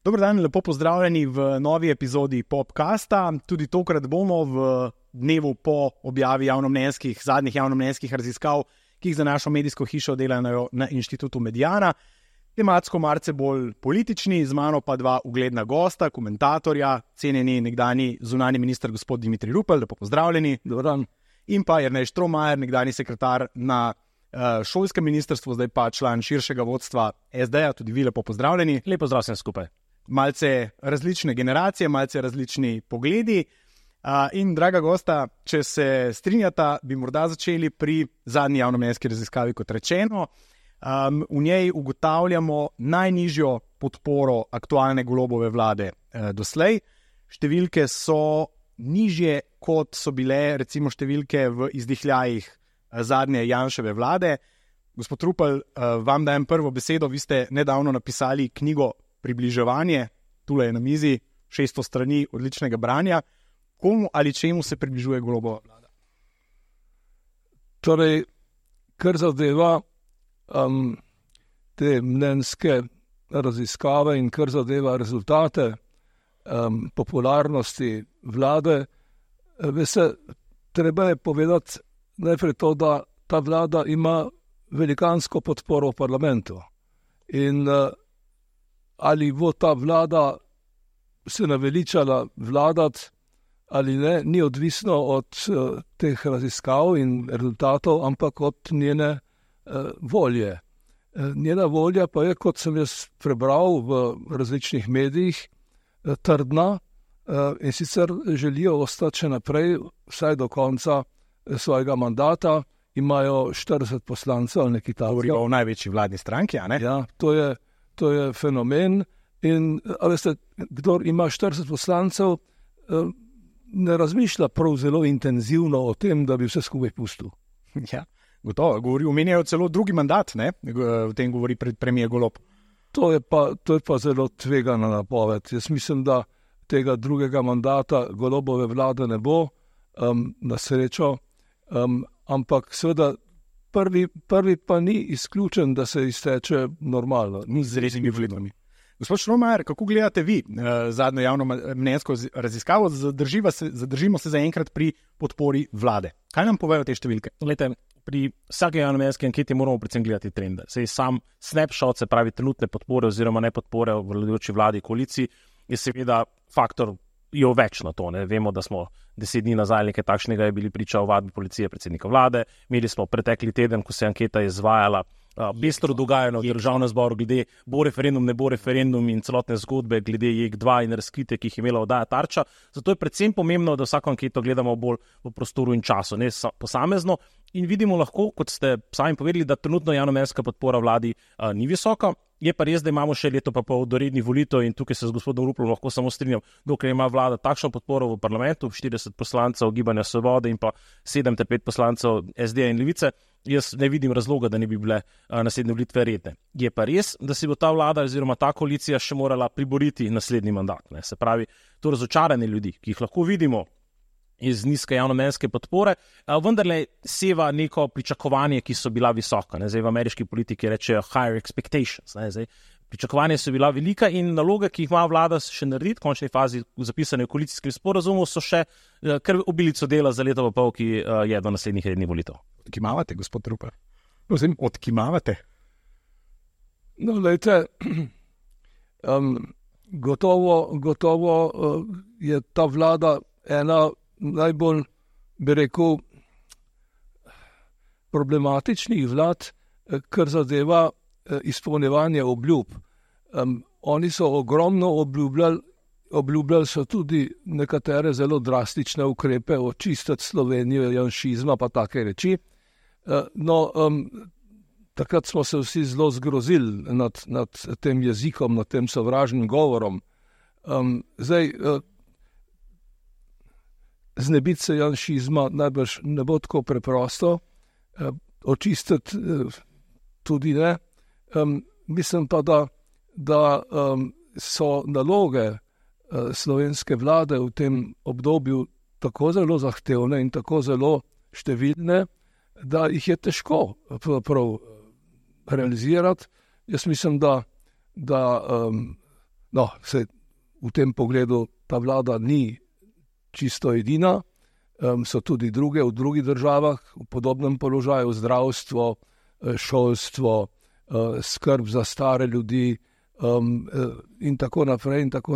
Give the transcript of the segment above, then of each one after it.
Dober dan, lepo pozdravljeni v novi epizodi Popcasta. Tudi tokrat bomo v dnevu po objavi zadnjih javnomnenjskih raziskav, ki jih za našo medijsko hišo delajo na Inštitutu Mediana, tematsko malce bolj politični, z mano pa dva ugledna gosta, komentatorja, cenjeni nekdanji zunanji minister gospod Dimitrij Rupel, lepo pozdravljeni. Dober dan. In pa Jernej Štromajer, nekdanji sekretar na šolskem ministrstvu, zdaj pa član širšega vodstva SD-ja, tudi vi lepo pozdravljeni. Lepo pozdrav vsem skupaj. Malce različne generacije, malce različni pogledi. In draga gosta, če se strinjata, bi morda začeli pri zadnji javnomnenjski raziskavi, kot rečeno. V njej ugotavljamo najnižjo podporo aktualne Golobove vlade doslej. Številke so nižje, kot so bile recimo številke v izdihljajih zadnje Janševe vlade. Gospod Rupel, vam dajem prvo besedo. Vi ste nedavno napisali knjigo Približevanje, tule je na mizi, 600 strani odličnega branja. Komu ali čemu se približuje Golobova vlada? Torej, kar zadeva te mnenjske raziskave in kar zadeva rezultate popularnosti vlade, veste, treba je povedati najprej to, da ta vlada ima velikansko podporo v parlamentu. In ali bo ta vlada se naveličala vladati ali ne, ni odvisno od teh raziskav in rezultatov, ampak od njene volje. Njena volja pa je, kot sem jaz prebral v različnih medijih, trdna in sicer želijo ostati še naprej, vsaj do konca svojega mandata, imajo 40 poslancev ali nekaj takega. Govorijo o največji vladni stranki, a ne? Ja, to je fenomen in veste, kdor ima 40 poslancev, ne razmišlja prav zelo intenzivno o tem, da bi vse skupaj pustil. Ja, gotovo. Omenjajo celo drugi mandat, ne? V tem govori premier Golob. To je pa zelo tvegana napoved. Jaz mislim, da tega drugega mandata Golobove vlade ne bo, na srečo, ampak seveda prvi pa ni izključen, da se izteče normalno. Ni z resnimi volitvami. Gospod Štromajer, kako gledate vi zadnjo javnomnenjsko raziskavo? Zadržimo se zaenkrat pri podpori vlade. Kaj nam povejo te številke? Glejte, pri vsaki javnomnenjski anketi moramo predvsem gledati trende. Sej sam snapshot, se pravi trenutne podpore oziroma ne podpore v vladajoči vladi koaliciji, je seveda faktor jo več na to. Ne? Vemo, da smo 10 dni nazaj nekaj takšnega je bili priča o vadbi policije predsednika vlade. Imeli smo pretekli teden, ko se anketa izvajala, pestro dogajano v državnem zboru glede bo referendum, ne bo referendum in celotne zgodbe glede JEK2 in razkritja, ki jih je imela oddaja Tarča. Zato je predvsem pomembno, da vsako anketo gledamo bolj v prostoru in času, ne posamezno. In vidimo lahko, kot ste sami povedali, da trenutno javnomnenjska podpora vladi ni visoka. Je pa res, da imamo še leto pa pol do rednih volitev in tukaj se z gospodom Ruplom lahko samo strinjam, dokler ima vlada takšno podporo v parlamentu, 40 poslancev Gibanja Svobode in pa 7-5 poslancev SD in Levice, jaz ne vidim razloga, da ne bi bile naslednje volitve redne. Je pa res, da si bo ta vlada oziroma ta koalicija še morala priboriti naslednji mandat. Ne? Se pravi, to razočaranje ljudi, ki jih lahko vidimo iz nizke javnomnenjske podpore, vendarle seva neko pričakovanje, ki so bila visoka. Ne? Zdaj v ameriški politiki rečejo higher expectations. Ne? Zdaj, pričakovanje so bila velika in naloge, ki jih ima vlada še narediti, v končni fazi zapisane v koalicijskem sporazumu, so še kar obilico dela za leto pa pol, ki je do naslednjih rednih volitev. Odkimavate, gospod Rupel? Odkimavate? No, lejte, gotovo je ta vlada ena najbolj, bi rekel, problematičnih vlad, kar zadeva izpolnjevanje obljub. Oni so ogromno obljubljali so tudi nekatere zelo drastične ukrepe, očistiti Slovenijo janšizma pa take reči. Takrat smo se vsi zelo zgrozili nad tem jezikom, nad tem sovražnim govorom. Zdaj, znebiti se janšizma najbrž ne bo tako preprosto, očistiti tudi ne. Mislim pa, da so naloge slovenske vlade v tem obdobju tako zelo zahtevne in tako zelo številne, da jih je težko prav realizirati. Jaz mislim, da se v tem pogledu ta vlada ni čisto edina, so tudi druge v drugih državah v podobnem položaju, zdravstvo, šolstvo, skrb za stare ljudi in tako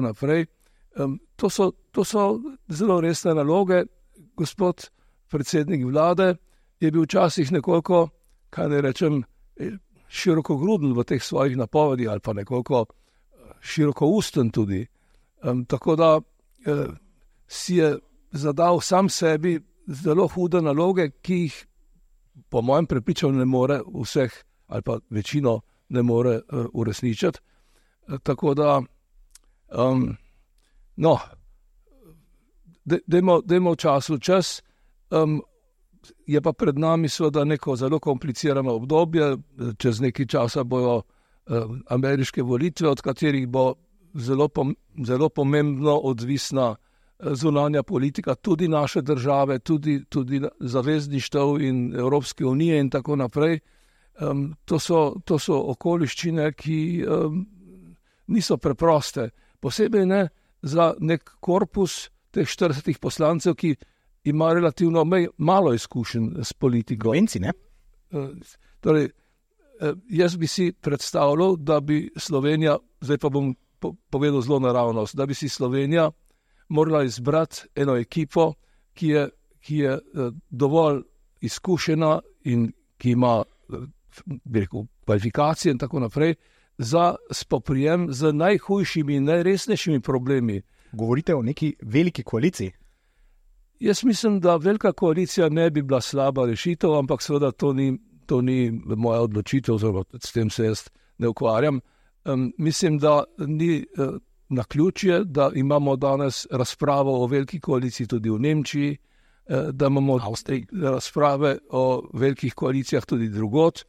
naprej. To so zelo resne naloge. Gospod predsednik vlade je bil včasih nekoliko, kaj ne rečem, širokogruden v teh svojih napovedih ali pa nekoliko širokousten tudi. Tako da si je zadal sam sebi zelo hude naloge, ki jih po mojem prepričanju ne more vseh ali pa večino ne more uresničiti. Tako da dajmo času čas. Je pa pred nami seveda neko zelo komplicirano obdobje, čez nekaj časa bojo ameriške volitve, od katerih bo zelo pomembno odvisna zunanja politika, tudi naše države, tudi zavezništev in Evropske unije in tako naprej. To so okoliščine, ki niso preproste. Posebej ne za nek korpus teh 40 poslancev, ki ima relativno malo izkušenj s politiko. Slovenci, ne? Torej, jaz bi si predstavljal, da bi Slovenija, zdaj pa bom povedal zelo naravnost, da bi si Slovenija morala izbrati eno ekipo, ki je dovolj izkušena in ki ima, bi rekel, kvalifikacije in tako naprej, za spoprijem z najhujšimi in najresnejšimi problemi. Govorite o neki veliki koaliciji? Jaz mislim, da velika koalicija ne bi bila slaba rešitev, ampak seveda to ni moja odločitev, oziroma s tem se jaz ne ukvarjam. Mislim, da ni naključje, da imamo danes razpravo o veliki koaliciji tudi v Nemčiji, da imamo razprave o velikih koalicijah tudi drugod.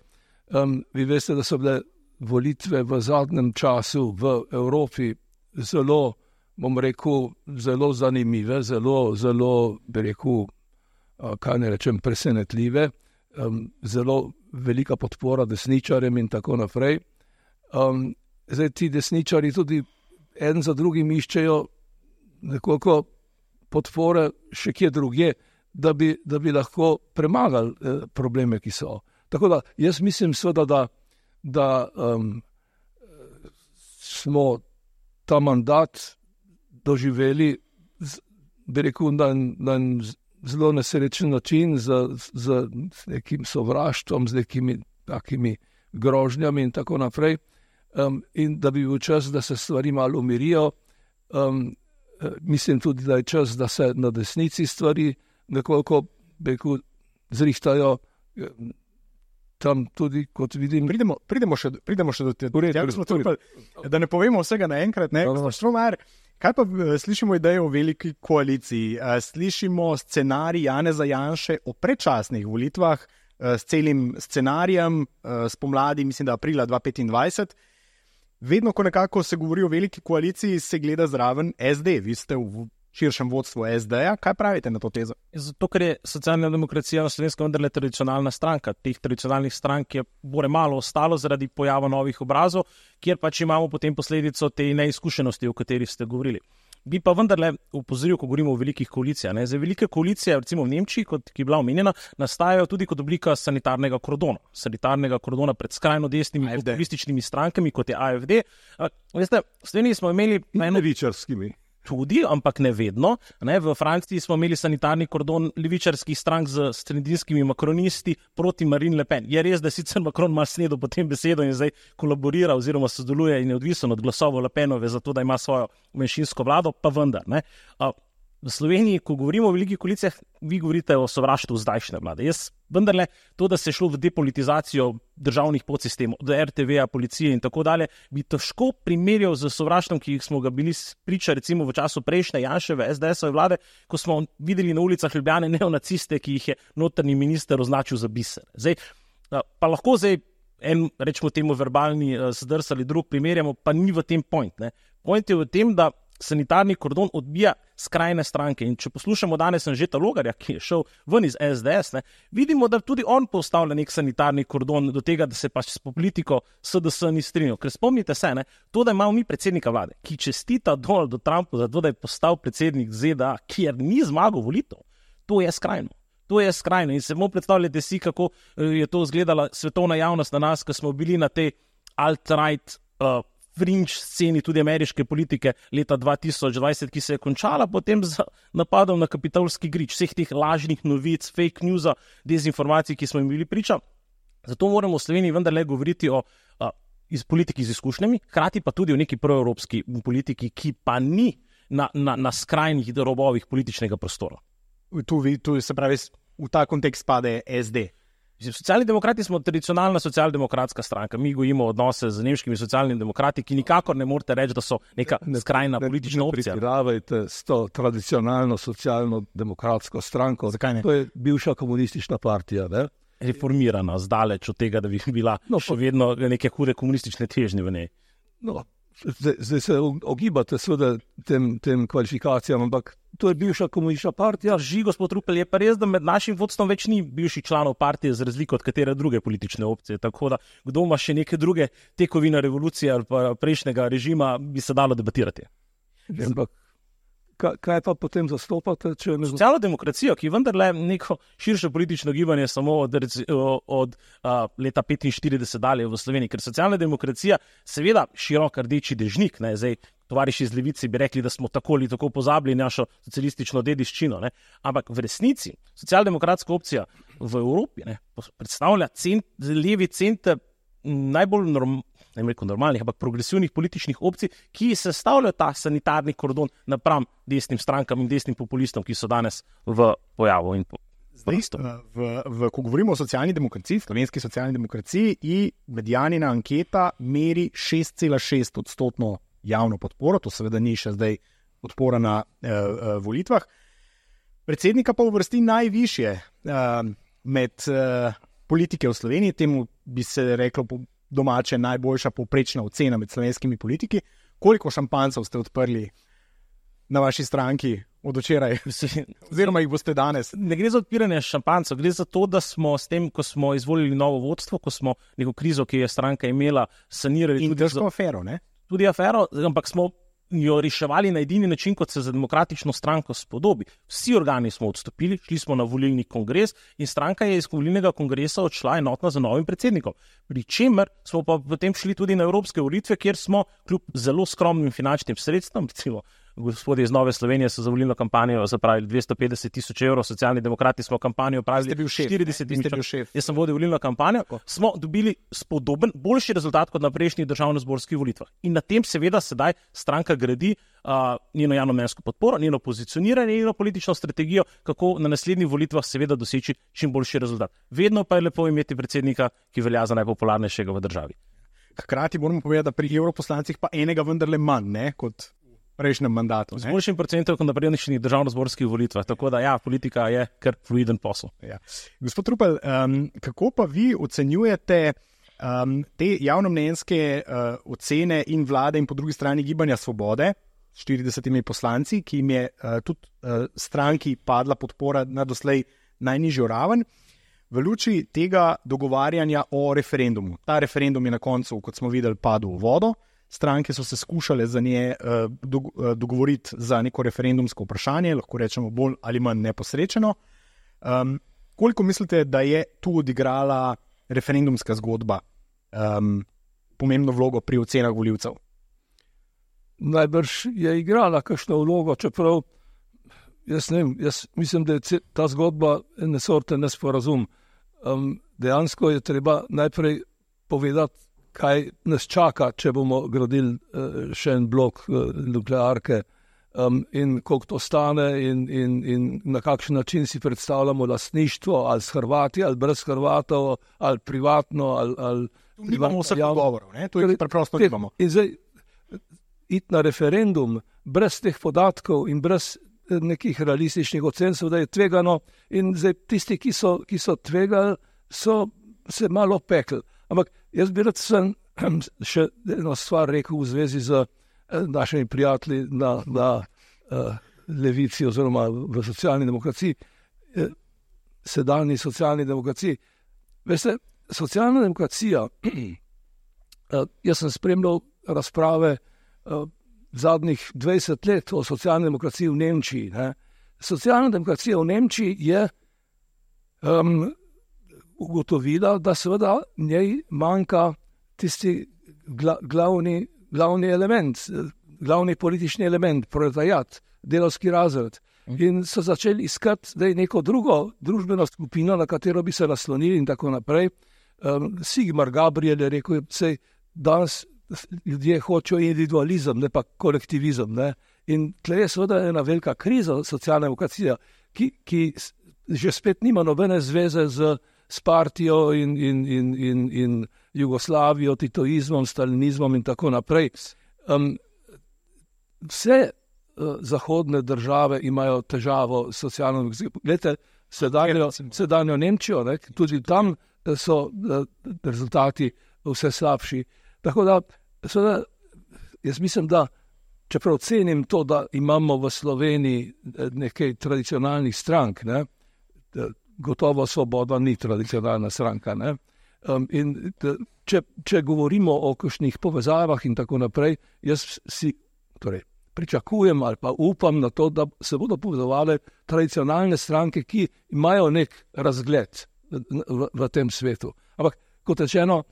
Vi veste, da so bile volitve v zadnjem času v Evropi zelo, bom rekel, zelo zanimive, zelo, bi rekel, kaj ne rečem, presenetljive, zelo velika podpora desničarjem in tako naprej. Zdaj ti desničari tudi en za drugim iščejo nekoliko podpore še kje drugje, da bi lahko premagali probleme, ki so. Tako da jaz mislim seveda, da smo ta mandat doživeli, bi rekel, na zelo nesrečen način, z nekim sovraštvom, z nekimi takimi grožnjami in tako naprej. In da bi bil čas, da se stvari malo umirijo. Mislim tudi, da je čas, da se na desnici stvari nekoliko, bi rekel, zrihtajo. Tam tudi, kot vidim... Pridemo še do tega, da ne povemo vsega naenkrat. Kaj pa slišimo idejo o veliki koaliciji? Slišimo scenarij Janeza Janše o predčasnih volitvah s celim scenarijem spomladi, mislim, da aprila 2025. Vedno, ko nekako se govori o veliki koaliciji, se gleda zraven SD. Vi ste v širšem vodstvu SD-ja. Kaj pravite na to tezo? Zato, ker je socialna demokracija na Slovenskem vendarle tradicionalna stranka. Teh tradicionalnih strank je bore malo ostalo zaradi pojava novih obrazov, kjer pač imamo potem posledico te neizkušenosti, o kateri ste govorili. Bi pa vendarle upozoril, ko govorimo o velikih koalicijah. Za velike koalicije, recimo v Nemčiji, ki je bila omenjena, nastajajo tudi kot oblika sanitarnega kordona pred skrajno desnimi populističnimi strankami, kot je AfD. Veste, v Sloveniji smo imeli levičarskimi. Tudi, ampak ne vedno. V Franciji smo imeli sanitarni kordon levičarskih strank z sredinskimi makronisti proti Marine Le Pen. Je res, da sicer Macron malo snedel po tem besedo in zdaj kolaborira oziroma sodeluje in je odvisen od glasov Le Penove za to, da ima svojo manjšinsko vlado, pa vendar. V Sloveniji, ko govorimo o velikih koalicijah, vi govorite o sovraštvu zdajšnje vlade. Jaz vendarle to, da se je šlo v depolitizacijo državnih podsistemov, do RTV-ja, policije in tako dalje, bi težko primerjal z sovraštvom, ki smo ga bili priča recimo v času prejšnje Janševe SDS-ove vlade, ko smo videli na ulicah Ljubljane neonaciste, ki jih je notranji minister označil za biser. Pa lahko en, rečemo temu, verbalni zdrs ali drug primerjamo, pa ni v tem point. Point je v tem, da sanitarni kordon odbija skrajne stranke. In če poslušamo danes Anžeta Logarja, ki je šel ven iz SDS, vidimo, da tudi on postavlja nek sanitarni kordon do tega, da se pač s politiko SDS ni strinjal. Ker spomnite se, to, da imamo mi predsednika vlade, ki čestita Donaldu Trumpu za to, da je postal predsednik ZDA, kjer ni zmagal volitev, to je skrajno. To je skrajno in se bomo predstavljati si, kako je to izgledala svetovna javnost na nas, ko smo bili na tej alt-right fringe sceni tudi ameriške politike leta 2020, ki se je končala potem z napadom na Kapitolski grič, vseh teh lažnih novic, fake newsa, dezinformacij, ki smo jim bili priča. Zato moramo v Sloveniji vendarle govoriti o politiki z izkušnjami, hkrati pa tudi o neki proevropski politiki, ki pa ni na skrajnih robovih političnega prostora. Tu se pravi, v ta kontekst spade SD. Socialni demokrati smo tradicionalna socialdemokratska stranka. Mi gojimo odnose z nemškimi socialnimi demokrati, ki nikakor ne morete reči, da so neka skrajna politična opcija. Ne pretiravajte s to tradicionalno socialno-demokratsko stranko. Zakaj ne? To je bivša komunistična partija, ne? Reformirana, zdaleč od tega, da bi bila še vedno neke hude komunistične težnje v njej. Zdaj se ogibate seveda tem kvalifikacijam, ampak to je bivša komunistična partija. Drži, gospod Rupel, je pa res, da med našim vodstvom več ni bivših članov partije z razliko od katere druge politične opcije. Tako da, kdo ima še neke druge tekovine revolucije ali pa prejšnjega režima, bi se dalo debatirati. Ampak kaj pa potem zastopate? Socialno demokracijo, ki vendarle neko širše politično gibanje samo od leta 45 dalje v Sloveniji, ker socialna demokracija seveda širok rdeči dežnik, zdaj tovariši iz levice bi rekli, da smo tako ali tako pozabili našo socialistično dediščino, ampak v resnici socialdemokratska opcija v Evropi predstavlja levi center najbolj normalnih, ampak progresivnih političnih opcij, ki sestavljajo ta sanitarni kordon napram desnim strankam in desnim populistom, ki so danes v pojavu in ko govorimo o socialni demokraciji, slovenski socialni demokraciji, medianina anketa meri 6,6% javno podporo, to seveda ni še zdaj podpora na volitvah. Predsednika pa uvrsti najvišje med politike v Sloveniji, temu bi se reklo po domače najboljša povprečna ocena med slovenskimi politiki. Koliko šampancev ste odprli na vaši stranki od včeraj, oziroma jih boste danes? Ne gre za odpiranje šampancev, gre za to, da smo s tem, ko smo izvolili novo vodstvo, ko smo neko krizo, ki je stranka imela, sanirali in tudi afero, ne? Tudi afero, ampak smo jo reševali na edini način, kot se za demokratično stranko spodobi. Vsi organi smo odstopili, šli smo na volilni kongres in stranka je iz volilnega kongresa odšla enotna za novim predsednikom. Pri čemer smo pa potem šli tudi na evropske volitve, kjer smo kljub zelo skromnim finančnim sredstvom, recimo gospodje iz Nove Slovenije so za volilno kampanjo zapravili 250,000 evrov, socialni demokrati smo kampanjo pravili 40,000. Jaz sem vodil volilno kampanjo, smo dobili spodoben, boljši rezultat kot na prejšnjih državnozborskih volitvah. In na tem seveda sedaj stranka gradi njeno javnomnenjsko podporo, njeno pozicioniranje, njeno politično strategijo, kako na naslednjih volitvah seveda doseči čim boljši rezultat. Vedno pa je lepo imeti predsednika, ki velja za najpopularnejšega v državi. Hkrati moramo povedati, da pri evroposlancih pa enega vendarle manj, kot prejšnjem mandatu. Z boljšim procentom kot na prejšnjih državnozborskih volitvah, tako da politika je kar fluiden posel. Ja. Gospod Rupel, kako pa vi ocenjujete te javnomnenjske ocene in vlade in po drugi strani Gibanja Svobode, 40 poslanci, ki jim je tudi stranki padla podpora na doslej najnižjo raven, v luči tega dogovarjanja o referendumu? Ta referendum je na koncu, kot smo videli, padel v vodo. Stranke so se skušale za nje dogovoriti za neko referendumsko vprašanje, lahko rečemo bolj ali manj neposrečeno. Koliko mislite, da je tu odigrala referendumska zgodba pomembno vlogo pri ocenah volivcev? Najbrž je igrala kakšno vlogo, čeprav jaz mislim, da je ta zgodba ene sorte nesporazum. Dejansko je treba najprej povedati, kaj nas čaka, če bomo gradili še en blok nuklearke in koliko to stane in na kakšen način si predstavljamo lastništvo, ali s Hrvati, ali brez Hrvatov, ali privatno, ali nimamo vseh dogovorov, to je preprosto nimamo. In zdaj iti na referendum brez teh podatkov in brez nekih realističnih ocen, da je tvegano in zdaj tisti, ki so tvegali, so se malo pekli. Ampak jaz bi rad še eno stvar rekel v zvezi z našimi prijatelji na levici oziroma v socialni demokraciji, sedanji socialni demokraciji. Veste, socialna demokracija, jaz sem spremljal razprave zadnjih 20 let o socialni demokraciji v Nemčiji. Ne. Socialna demokracija v Nemčiji je ugotovila, da seveda njej manjka tisti glavni element, glavni politični element, proletariat, delavski razred. In so začeli iskati neko drugo družbeno skupino, na katero bi se naslonili in tako naprej. Sigmar Gabriel je rekel, da danes ljudje hočejo individualizem, ne pa kolektivizem. Ne? In tle je seveda ena velika kriza socialna demokracija, ki že spet nima nobene zveze s partijo in Jugoslavijo, titoizmom, stalinizmom in tako naprej. Vse zahodne države imajo težavo s socialno demokracijo. Glejte, sedanjo Nemčijo, ne, tudi tam so rezultati vse slabši. Tako da, seveda, jaz mislim, da čeprav cenim to, da imamo v Sloveniji nekaj tradicionalnih strank, ne, gotovo Svoboda ni tradicionalna stranka. Ne. In če govorimo o kakšnih povezavah in tako naprej, jaz si pričakujem ali pa upam na to, da se bodo povezovale tradicionalne stranke, ki imajo nek razgled v tem svetu. Ampak, kot rečeno,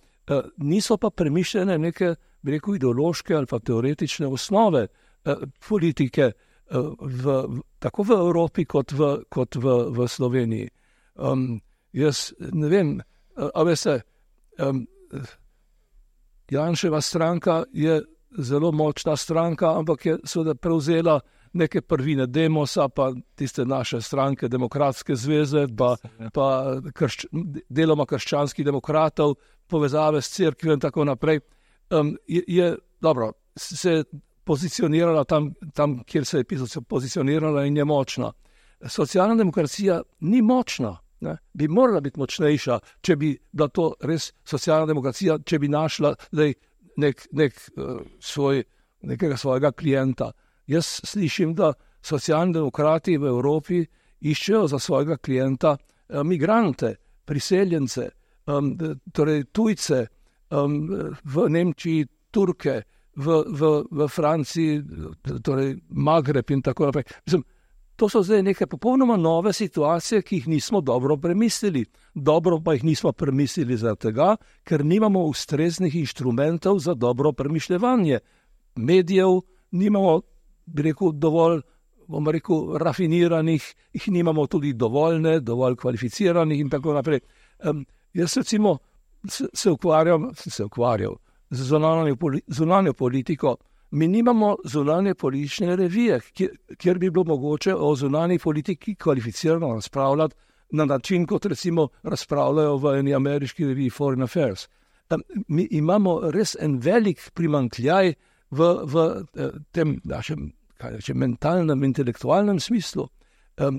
niso pa premišljene neke, bi rekel, ideološke ali pa teoretične osnove politike tako v Evropi kot v Sloveniji. Jaz ne vem, a veste, Janševa stranka je zelo močna stranka, ampak je seveda prevzela neke prvine Demosa, pa tiste naše stranke, Demokratske zveze, pa deloma krščanskih demokratov, povezave s cerkvijo in tako naprej. Je dobro, se pozicionirala tam, kjer se je pozicionirala in je močna. Socialna demokracija ni močna. Ne? Bi morala biti močnejša, če bi bila to res socialna demokracija, če bi našla nekega svojega klienta. Jaz slišim, da socialni demokrati v Evropi iščejo za svojega klienta migrante, priseljence, torej tujce, v Nemčiji Turke, v Franciji, torej Magreb in tako naprej. Mislim, to so zdaj neke popolnoma nove situacije, ki jih nismo dobro premislili. Dobro pa jih nismo premislili zaradi tega, ker nimamo ustreznih inštrumentov za dobro premišljevanje. Medijev nimamo, bi rekel, dovolj, bomo rekel, rafiniranih, jih nimamo tudi dovolj kvalificiranih in tako naprej. Jaz recimo se ukvarjal z zunanjo politiko. Mi nimamo zunanje politične revije, kjer bi bilo mogoče o zunanji politiki kvalificirano razpravljati na način, kot recimo razpravljajo v eni ameriški reviji Foreign Affairs. Mi imamo res en velik primanjkljaj v tem našem mentalnem, intelektualnem smislu.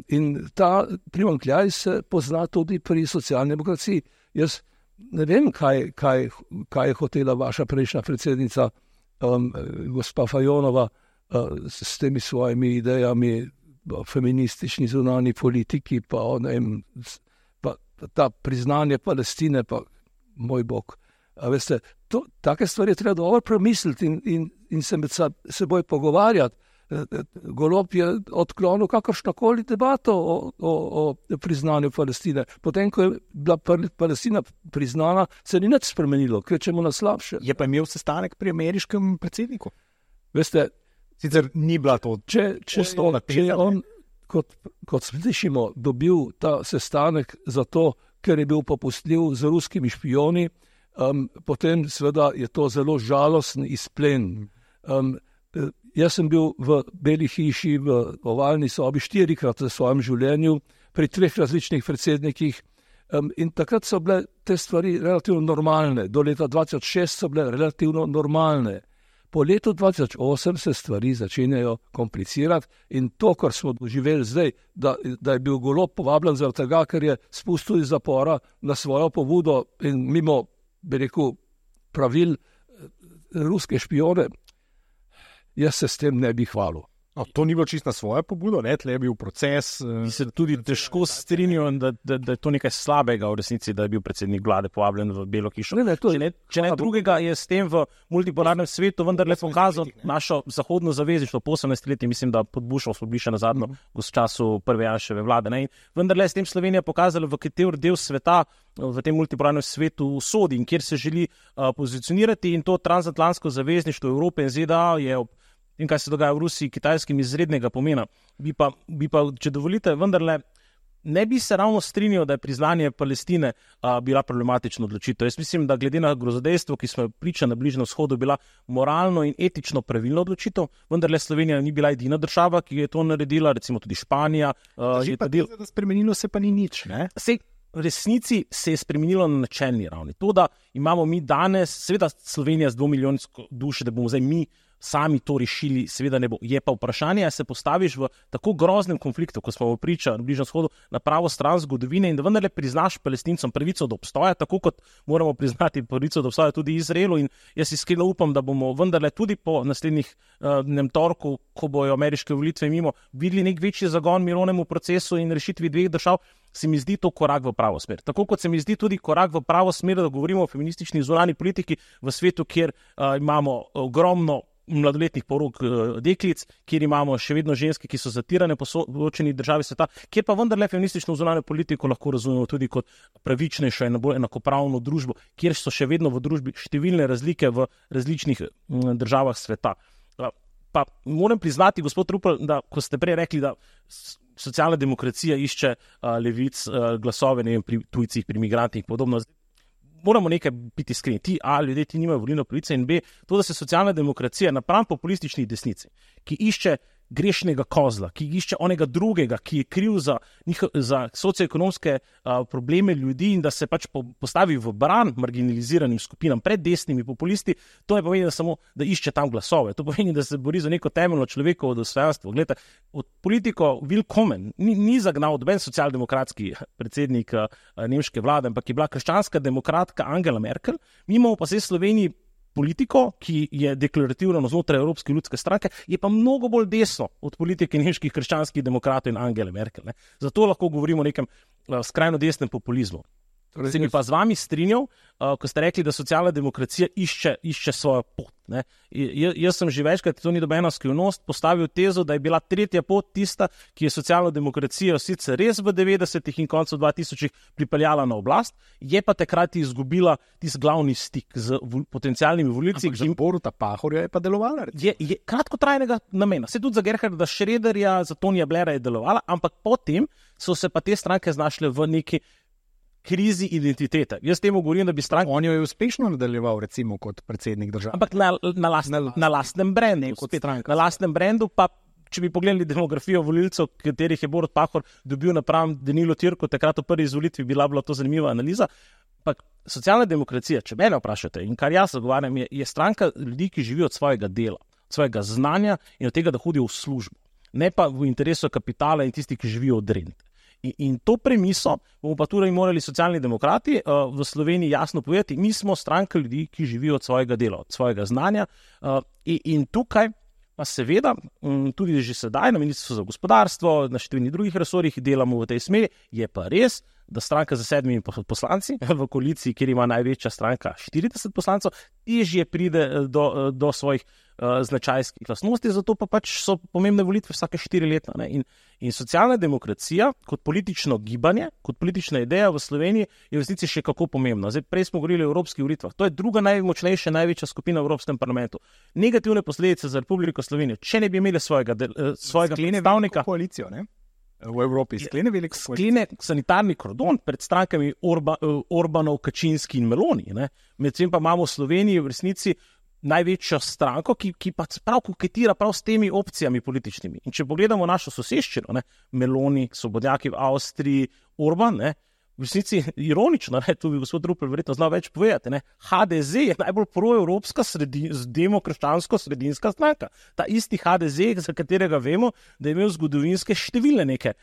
In ta primanjkljaj se pozna tudi pri socialni demokraciji. Jaz ne vem, kaj je hotela vaša prejšnja predsednica, gospa Fajonova, s temi svojimi idejami o feministični zunanji politiki, pa ta priznanje Palestine, pa moj bog. A veste, take stvari je treba dobro premisliti in se med seboj pogovarjati. Golob je odklonil kakršnokoli debato o priznanju Palestine. Potem, ko je bila Palestina priznana, se ni nič spremenilo, kvečemo na slabše. Je pa imel sestanek pri ameriškem predsedniku? Veste, sicer ni bila to če je on, kot slišimo, dobil ta sestanek zato, ker je bil popustljiv z ruskimi špijoni, potem seveda je to zelo žalosten izplen. Jaz sem bil v Beli hiši, v ovalni sobi 4-krat v svojem življenju, pri 3 različnih predsednikih, in takrat so bile te stvari relativno normalne. Do leta 2006 so bile relativno normalne. Po letu 2008 se stvari začenjajo komplicirati in to, kar smo doživeli zdaj, da je bil Golob povabljen zaradi tega, ker je spustil iz zapora na svojo pobudo in mimo, bi rekel, pravil ruske špijone, jaz se s tem ne bi hvalil. To ni bilo čisto na svojo pobudo, tle je bil proces. Se tudi težko strinjam, da je to nekaj slabega v resnici, da je bil predsednik vlade povabljen v Belo hišo. Če ne drugega, je s tem v multipolarnem svetu vendarle pokazal našo zahodno zavezništvo po 18 letih, mislim, da pod Bushom smo bili še nazadnje v času prve Janševe vlade. Ne? In vendarle je s tem Slovenija pokazala, v kateri del sveta v tem multipolarnem svetu sodi in kjer se želi pozicionirati, in to transatlantsko zavezništvo Evrope in ZDA je in kaj se dogaja v Rusiji, Kitajskim izrednega pomena. Bi pa, če dovolite, vendarle ne bi se ravno strinjal, da je priznanje Palestine bila problematična odločitev. Jaz mislim, da glede na grozodejstvo, ki smo priča na Bližnjem vzhodu, bila moralno in etično pravilna odločitev, vendarle Slovenija ni bila edina država, ki je to naredila, recimo tudi Španija. Spremenilo se pa ni nič, ne? V resnici se je spremenilo na načelni ravni. To, da imamo mi danes, seveda Slovenija z 2 milijonsko duše, da bomo zdaj mi sami to rešili, seveda ne bo. Je pa vprašanje, ali se postaviš v tako groznem konfliktu, ko smo priča na Bližnjem vzhodu, na pravo stran zgodovine in da vendarle priznaš Palestincom pravico do obstoja, tako kot moramo priznati pravico do obstoja tudi Izraelu, in jaz iskreno upam, da bomo vendarle tudi po naslednjih torku, ko bojo ameriške volitve mimo, videli nek večji zagon mirovnemu procesu in rešitvi dveh držav. Se mi zdi to korak v pravo smer. Tako kot se mi zdi tudi korak v pravo smer, da govorimo o feministični zunanji politiki v svetu, kjer imamo ogromno mladoletnih porok deklic, kjer imamo še vedno ženske, ki so zatirane po določeni državi sveta, kjer pa vendarle feministično zunanjo politiko lahko razumemo tudi kot pravičnejšo in bolj enakopravno družbo, kjer so še vedno v družbi številne razlike v različnih državah sveta. Pa moram priznati, gospod Rupel, da ko ste prej rekli, da socialna demokracija išče levic glasove, ne vem, pri tujcih, pri migrantih in podobno. Moramo nekaj biti iskreni. Ljudje ti nimajo volilne pravice, in B, to, da se socialna demokracija napram populistični desnici, ki išče grešnega kozla, ki išče onega drugega, ki je kriv za socioekonomske probleme ljudi in da se pač postavi v bran marginaliziranim skupinam pred desnimi populisti, to je pomeni, da samo da išče tam glasove. To pomeni, da se bori za neko temeljno človekovo dostojanstvo. Glejte, od politiko Willkommen ni zagnal noben socialdemokratski predsednik nemške vlade, ampak je bila krščanska demokratka Angela Merkel. Mi imamo pa zdaj v Sloveniji politiko, ki je deklarativno znotraj Evropske ljudske stranke, je pa mnogo bolj desno od politike nemških krščanskih demokratov in Angele Merkel. Ne? Zato lahko govorimo o nekem skrajno desnem populizmu. Se mi pa z vami strinjal, ko ste rekli, da socialna demokracija išče svojo pot. Ne? Jaz sem že večkrat, to ni nobena skrivnost, postavil tezo, da je bila tretja pot tista, ki je socialno demokracijo sicer res v 90-ih in koncu 2000-ih pripeljala na oblast, je pa takrat izgubila tisti glavni stik z potencialnimi volivci. Ampak za Boruta Pahorja je pa delovala. Je kratkotrajnega namena. Se tudi za Gerharda Schröderja, za Tonija Blaira je delovala, ampak potem so se pa te stranke znašle v neki krizi identitete. Jaz temu govorim, da bi stranka... On jo je uspešno nadaljeval, recimo, kot predsednik države. Ampak na lastnem brendu. Na lastnem brendu pa, če bi pogledali demografijo volilcev, katerih je Borut Pahor dobil napram Danilo Türku, takrat v prvi izvolitvi bila to zanimiva analiza. Ampak socialna demokracija, če mene vprašate, in kar jaz zagovarjam, je stranka ljudi, ki živijo od svojega dela, od svojega znanja in od tega, da hodijo v službo. Ne pa v interesu kapitala in tisti, ki živijo od rente. In to premiso bomo pa tudi morali socialni demokrati v Sloveniji jasno povedati, mi smo stranka ljudi, ki živijo od svojega dela, od svojega znanja, in tukaj pa seveda tudi že sedaj na Ministrstvu za gospodarstvo, na številnih drugih resorjih delamo v tej smeri. Je pa res, da stranka za 7 poslanci v koaliciji, kjer ima največja stranka 40 poslancev, težje pride do svojih značajskih lastnosti, zato pa pač so pomembne volitve vsake 4 leta. Ne? In socialna demokracija kot politično gibanje, kot politična ideja v Sloveniji je v resnici še kako pomembna. Zdaj, prej smo govorili o evropskih volitvah. To je druga najmočnejša, največja skupina v Evropskem parlamentu. Negativne posledice za Republiko Slovenijo, če ne bi imeli svojega predstavnika. Koalicijo, ne? V Evropi sklene sanitarni kordon pred strankami Orbanov, Kačinski in Meloni. Ne? Medtem pa imamo v Sloveniji v resnici največjo stranko, ki pa prav koketira prav s temi opcijami političnimi. In če pogledamo našo soseščino, ne? Meloni, svobodnjaki v Avstriji, Orban, ne? V resnici ironično, ne? Tu bi gospod Rupel verjetno znal več povedati, ne? HDZ je najbolj proevropska demokrščansko sredinska stranka. Ta isti HDZ, za katerega vemo, da je imel zgodovinske številne neke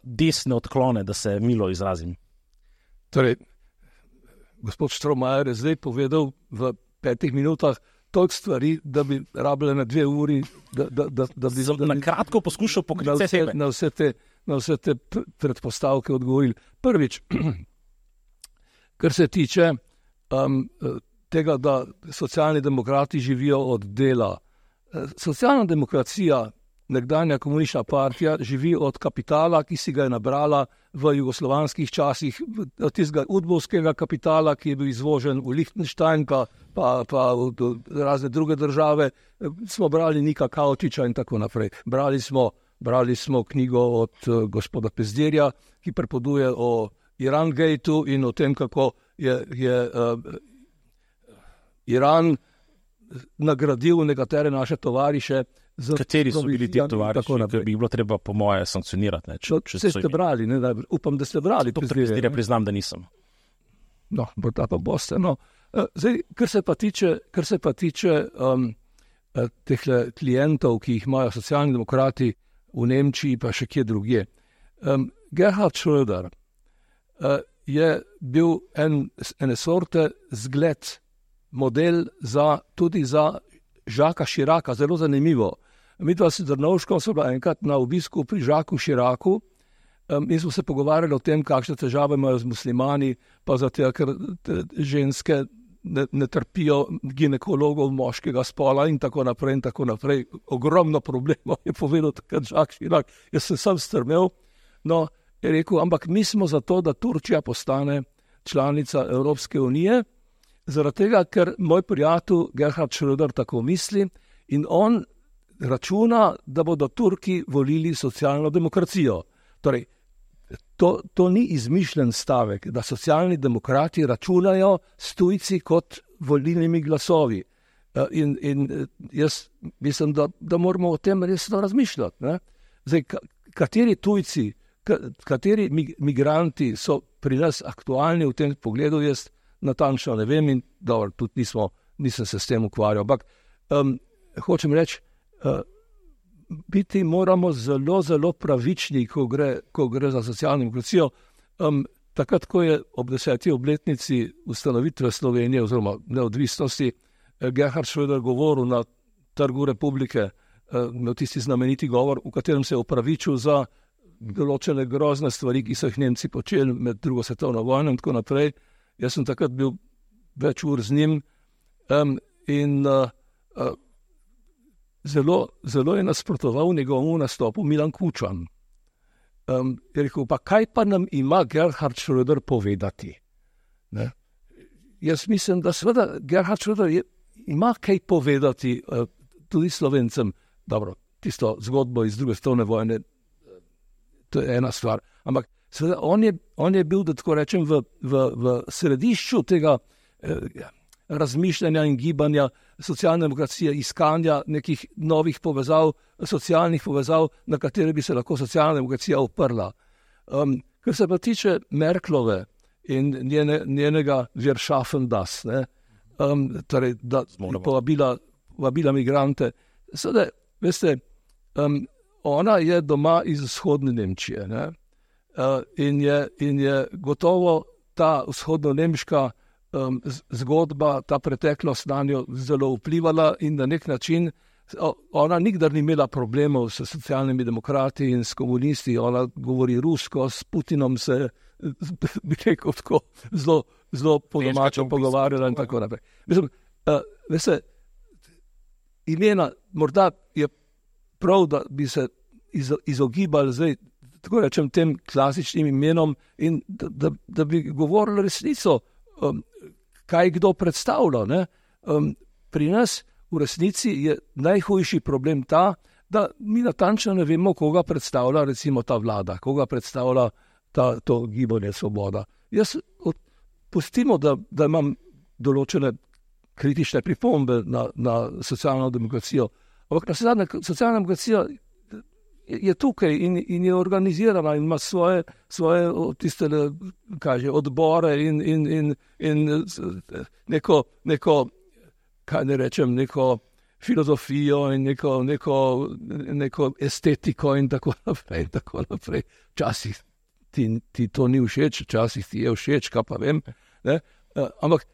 desne odklone, da se milo izrazim. Torej, gospod Štromajer je zdaj povedal v 5 minutah toliko stvari, da bi rabile na 2 uri, da bi na kratko poskušal pokriti na vse te predpostavke odgovorili. Prvič, kar se tiče tega, da socialni demokrati živijo od dela. Socialna demokracija, nekdanja komunistična partija, živi od kapitala, ki si ga je nabrala v jugoslovanskih časih, od tistega udbovskega kapitala, ki je bil izvožen v Lichtenstein, pa v razne druge države. Smo brali Nika Kaučiča in tako naprej. Brali smo knjigo od gospoda Pezdirja, ki pripoveduje o Iran-gateu in o tem, kako je Iran nagradil nekatere naše tovariše. Kateri so bili ti tovariši, ki bi bilo treba po moje sankcionirati? Če ste brali, upam, da ste brali. Pezdirja priznam, da nisem. No, morda pa boste. No. Zdaj, kar se pa tiče teh klientov, ki jih imajo socialni demokrati v Nemčiji, pa še kje drugje. Gerhard Schröder je bil ene sorte zgled, model tudi za Žaka Širaka, zelo zanimivo. Midva s Drnovškom so bila enkrat na obisku pri Žaku Širaku in smo se pogovarjali o tem, kakšne težave imajo z muslimani, pa zato, ker ženske ne trpijo ginekologov moškega spola in tako naprej in tako naprej. Ogromno problemov je povedal takrat Žak Širak. Jaz sem sam strmel, no, je rekel, ampak mi smo za to, da Turčija postane članica Evropske unije, zaradi tega, ker moj prijatelj Gerhard Schröder tako misli in on računa, da bodo Turki volili socialno demokracijo. Torej, to ni izmišljen stavek, da socialni demokrati računajo s tujci kot volilnimi glasovi. In jaz mislim, da moramo o tem resno razmišljati. Ne? Zdaj, kateri tujci, kateri migranti so pri nas aktualni v tem pogledu, jaz natančno ne vem in dobro, tudi nisem se s tem ukvarjal. Ampak hočem reči, biti moramo zelo, zelo pravični, ko gre za socialno demokracijo. Takrat, ko je ob 10. obletnici ustanovitve Slovenije oziroma neodvisnosti Gerhard Schröder govoril na Trgu Republike, imel tisti znameniti govor, v katerem se je opravičil za določene grozne stvari, ki so jih Nemci počeli med drugo svetovno vojno in tako naprej. Jaz sem takrat bil več ur z njim in zelo je nasprotoval njegovemu nastopu Milan Kučan. Je rekel, pa kaj pa nam ima Gerhard Schröder povedati? Ne? Jaz mislim, da seveda Gerhard Schröder ima kaj povedati tudi Slovencem. Dobro, tisto zgodbo iz druge svetovne vojne, to je ena stvar, ampak seveda, on je bil, da tako rečem, v središču tega razmišljanja in gibanja socialne demokracije, iskanja nekih novih povezav, socialnih povezav, na katere bi se lahko socialna demokracija oprla. Kar se pa tiče Merklove in njenega Wir schaffen das, torej, da povabila migrante. Seveda, veste, ona je doma iz vzhodne Nemčije, ne? In je gotovo ta vzhodno-nemška zgodba, ta preteklost na njo zelo vplivala in na nek način ona nikdar ni imela problemov s socialnimi demokrati in s komunisti. Ona govori rusko, s Putinom se, bi rekel tako, zelo po domačem pogovarjala in tako naprej. Mislim, veste, imena, morda je prav, da bi se izogibali zdaj, tako rečem, tem klasičnim imenom in da bi govorili resnico, kaj kdo predstavlja. Ne? Pri nas v resnici je najhujši problem ta, da mi natančno ne vemo, koga predstavlja recimo ta vlada, koga predstavlja to gibanje Svoboda. Jaz pustimo, da imam določene kritične pripombe na socialno demokracijo, ampak socialna demokracija je tukaj in je organizirana in ima svoje tiste, odbore in neko, kaj ne rečem, neko filozofijo in neko estetiko in tako naprej. Včasih ti to ni všeč, včasih ti je všeč, kaj pa vem. Ne? Ampak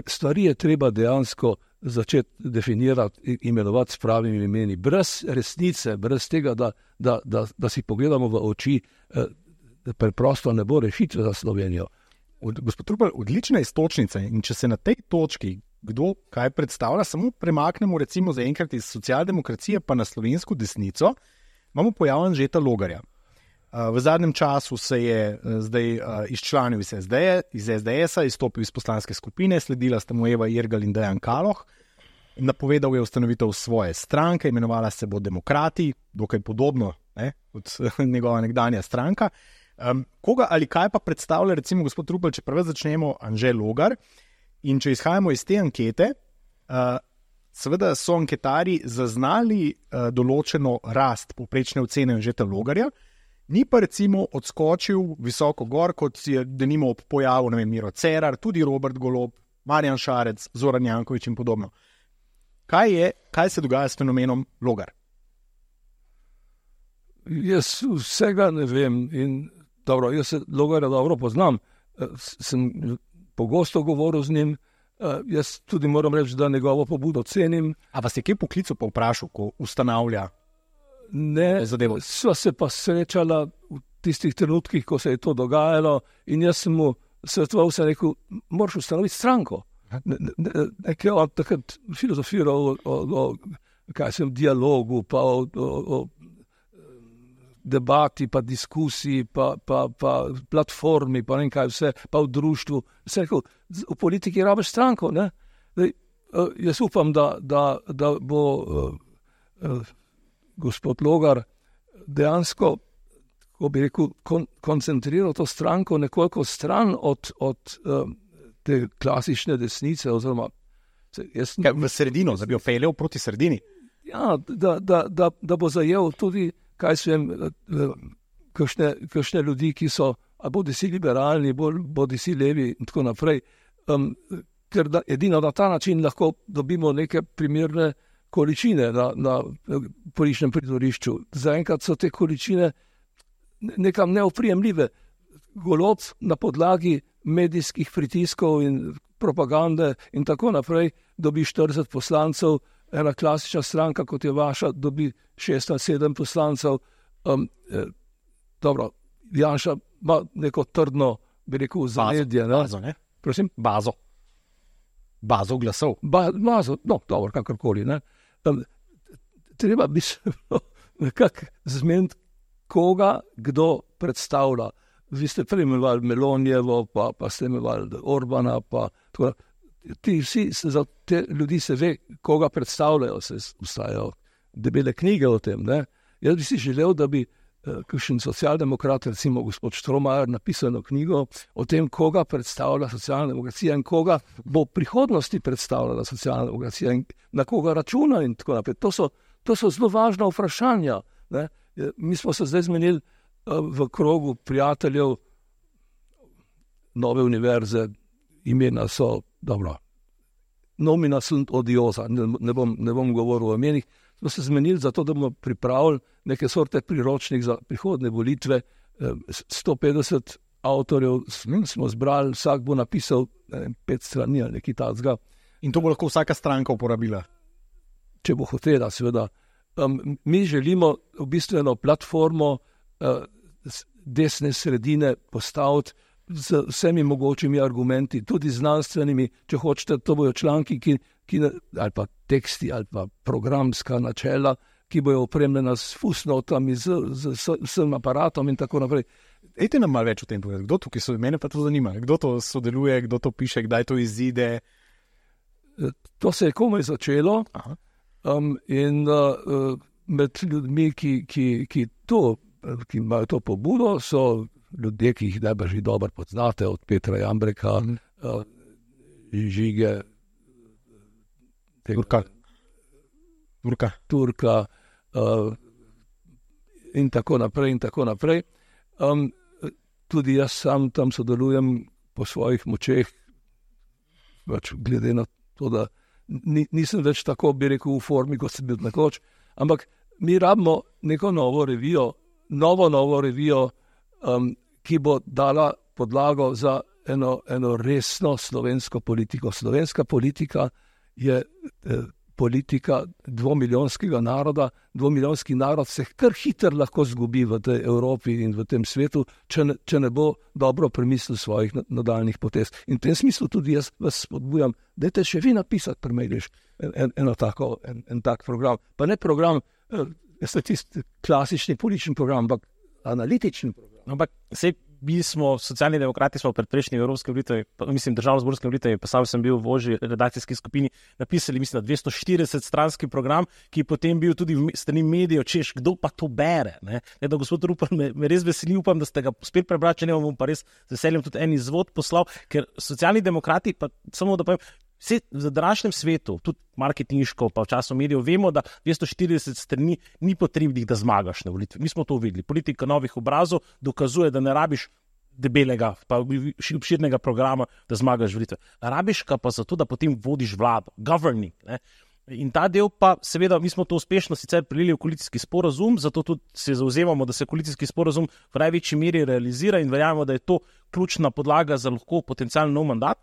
stvari je treba dejansko začeti definirati, imenovati s pravimi imeni. Brez resnice, brez tega, da si pogledamo v oči, preprosto ne bo rešitve za Slovenijo. Gospod Rupel, odlična iztočnica in če se na tej točki kdo kaj predstavlja, samo premaknemo recimo zaenkrat iz socialdemokracije pa na slovensko desnico, imamo pojav Anžeta Logarja. V zadnjem času se je zdaj izčlanil iz SDS-a, izstopil iz poslanske skupine, sledila sta mu Eva Irgl in Dejan Kaloh, napovedal je ustanovitev svoje stranke, imenovala se bo Demokrati, dokaj podobno kot njegova nekdanja stranka. Koga ali kaj pa predstavlja, recimo gospod Rupel, če prvi začnemo, Anže Logar, in če izhajamo iz te ankete, seveda so anketarji zaznali določeno rast povprečne ocene Anžeta Logarja, ni pa recimo odskočil visoko gor, kot je denimo ob pojavu, ne vem, Miro Cerar, tudi Robert Golob, Marjan Šarec, Zoran Janković in podobno. Kaj se dogaja s fenomenom Logar? Jaz vsega ne vem in dobro, jaz se Logarja dobro poznam, sem pogosto govoril z njim, jaz tudi moram reči, da njegovo pobudo cenim. A vas je kje poklical pa vprašal, ko ustanavlja? Ne, sva se pa srečala v tistih trenutkih, ko se je to dogajalo in jaz sem mu svetoval, se rekel, moraš ustanoviti stranko. Nekaj on takrat filozofiral o dialogu, pa o debati, pa diskusiji, pa platformi, pa ne kaj vse, pa v društvu. Se rekel, v politiki rabiš stranko, ne? Jaz upam, da bo gospod Logar dejansko, ko bi rekel, koncentriral to stranko nekoliko stran od te klasične desnice, oziroma v sredino, da bi jo peljal proti sredini. Ja, da bo zajel tudi, kaj so kakšne ljudi, ki so bodi si liberalni, bodi si levi in tako naprej, ker edino na ta način lahko dobimo neke primerne količine na političnem prizorišču. Zaenkrat so te količine nekam neoprijemljive. Golob na podlagi medijskih pritiskov in propagande in tako naprej dobi 40 poslancev, ena klasična stranka, kot je vaša, dobi 6 ali 7 poslancev. Dobro, Janša ima neko trdno, bi rekel, zaledje. Bazo, ne? Prosim? Bazo glasov. Bazo, no, dobro, kakorkoli, ne? Treba bi se nekako zmeniti, koga kdo predstavlja. Vi ste prej imenovali Melonijevo, pa ste imenovali Orbana, pa tako. Za te ljudi se ve, koga predstavljajo, se ustajajo debele knjige o tem, ne? Jaz bi si želel, da bi kakšen socialdemokrat, recimo gospod Štromajer, napisal knjigo o tem, koga predstavlja socialna demokracija in koga bo v prihodnosti predstavljala socialna demokracija in na koga računa in tako naprej. To so zelo važna vprašanja, ne? Mi smo se zdaj zmenili v krogu prijateljev Nove univerze, imena so, dobro, nomina sunt odiosa, ne bom govoril o imenih, smo se zmenili za to, da bomo pripravili neke sorte priročnik za prihodne volitve, 150 avtorjev smo zbrali, vsak bo napisal 5 strani ali nekaj takega. In to bo lahko vsaka stranka uporabila? Če bo hotela, seveda. Mi želimo v bistvu eno platformo desne sredine postaviti z vsemi mogočimi argumenti, tudi znanstvenimi, če hočete, to bojo članki, ali pa teksti, ali pa programska načela, ki bojo opremljena s fusnotami, z vsem aparatom in tako naprej. Ejte nam malo več o tem povedati, kdo tukaj so, mene pa to zanima, kdo to sodeluje, kdo to piše, kdaj to izide? To se je komaj začelo. In med ljudmi, ki imajo to pobudo, so ljudje, ki jih najbrž že dobro poznate, od Petra Jambreka, Žige, Turka in tako naprej. Tudi jaz sam tam sodelujem po svojih močeh, glede na to, da nisem več tako, bi rekel, v formi, kot sem bil nekoč, ampak mi rabimo neko novo revijo, ki bo dala podlago za eno resno slovensko politiko. Slovenska politika je politika dvomilijonskega naroda. Dvomilijonski narod se kar hitro lahko zgubi v tej Evropi in v tem svetu, če ne bo dobro premislil svojih nadaljnih potez. In v tem smislu tudi jaz vas spodbujam, dajte še vi napisati pri Mejliš en tak program. Pa ne program, tisti klasični politični program, ampak analitični program. Ampak mi smo, socialni demokrati, smo pred prejšnjimi evropskimi volitvami, mislim, državno-zborskimi volitvami, pa sam sem bil v ožji redakcijski skupini, napisali, mislim, 240 stranski program, ki je potem bil tudi v strani medijev, češ, kdo pa to bere. Ne, da gospod Rupel, me res veseli, upam, da ste ga spet prebrali, če ne bom pa res z veseljem tudi en izvod poslal, ker socialni demokrati, pa samo da povem, vse v današnjem svetu, tudi marketinško, pa v času medijev, vemo, da 240 strani ni potrebnih, da zmagaš na volitvi. Mi smo to videli. Politika novih obrazov dokazuje, da ne rabiš debelega, pa obširnega programa, da zmagaš volitve. Rabiš ga pa zato, da potem vodiš vlado, governing. Ne? In ta del pa, seveda, mi smo to uspešno sicer prilili v koalicijski sporazum, zato tudi se zauzemamo, da se koalicijski sporazum v največji meri realizira in verjamemo, da je to ključna podlaga za lahko potencialno nov mandat.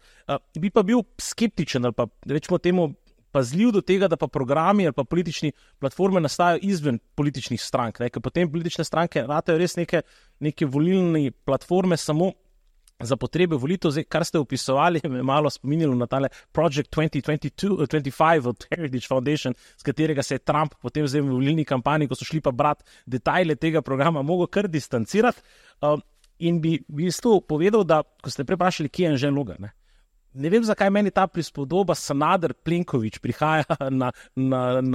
Bi pa bil skeptičen ali pa rečemo temu pazljiv do tega, da pa programi ali pa politični platforme nastajajo izven političnih strank, ne? Ker potem politične stranke ratajo res neke volilne platforme samo za potrebe volitev. Zdaj, kar ste opisovali, me malo spominjalo na tale Project 2025 od Heritage Foundation, s katerega se je Trump potem zdaj v volilni kampanji, ko so šli pa brati detajle tega programa, mogel kar distancirati. In bi v bistvu povedal, da, ko ste preprašali, kje je Anže Logar, ne vem, zakaj meni ta prispodoba Sanader-Plenković prihaja na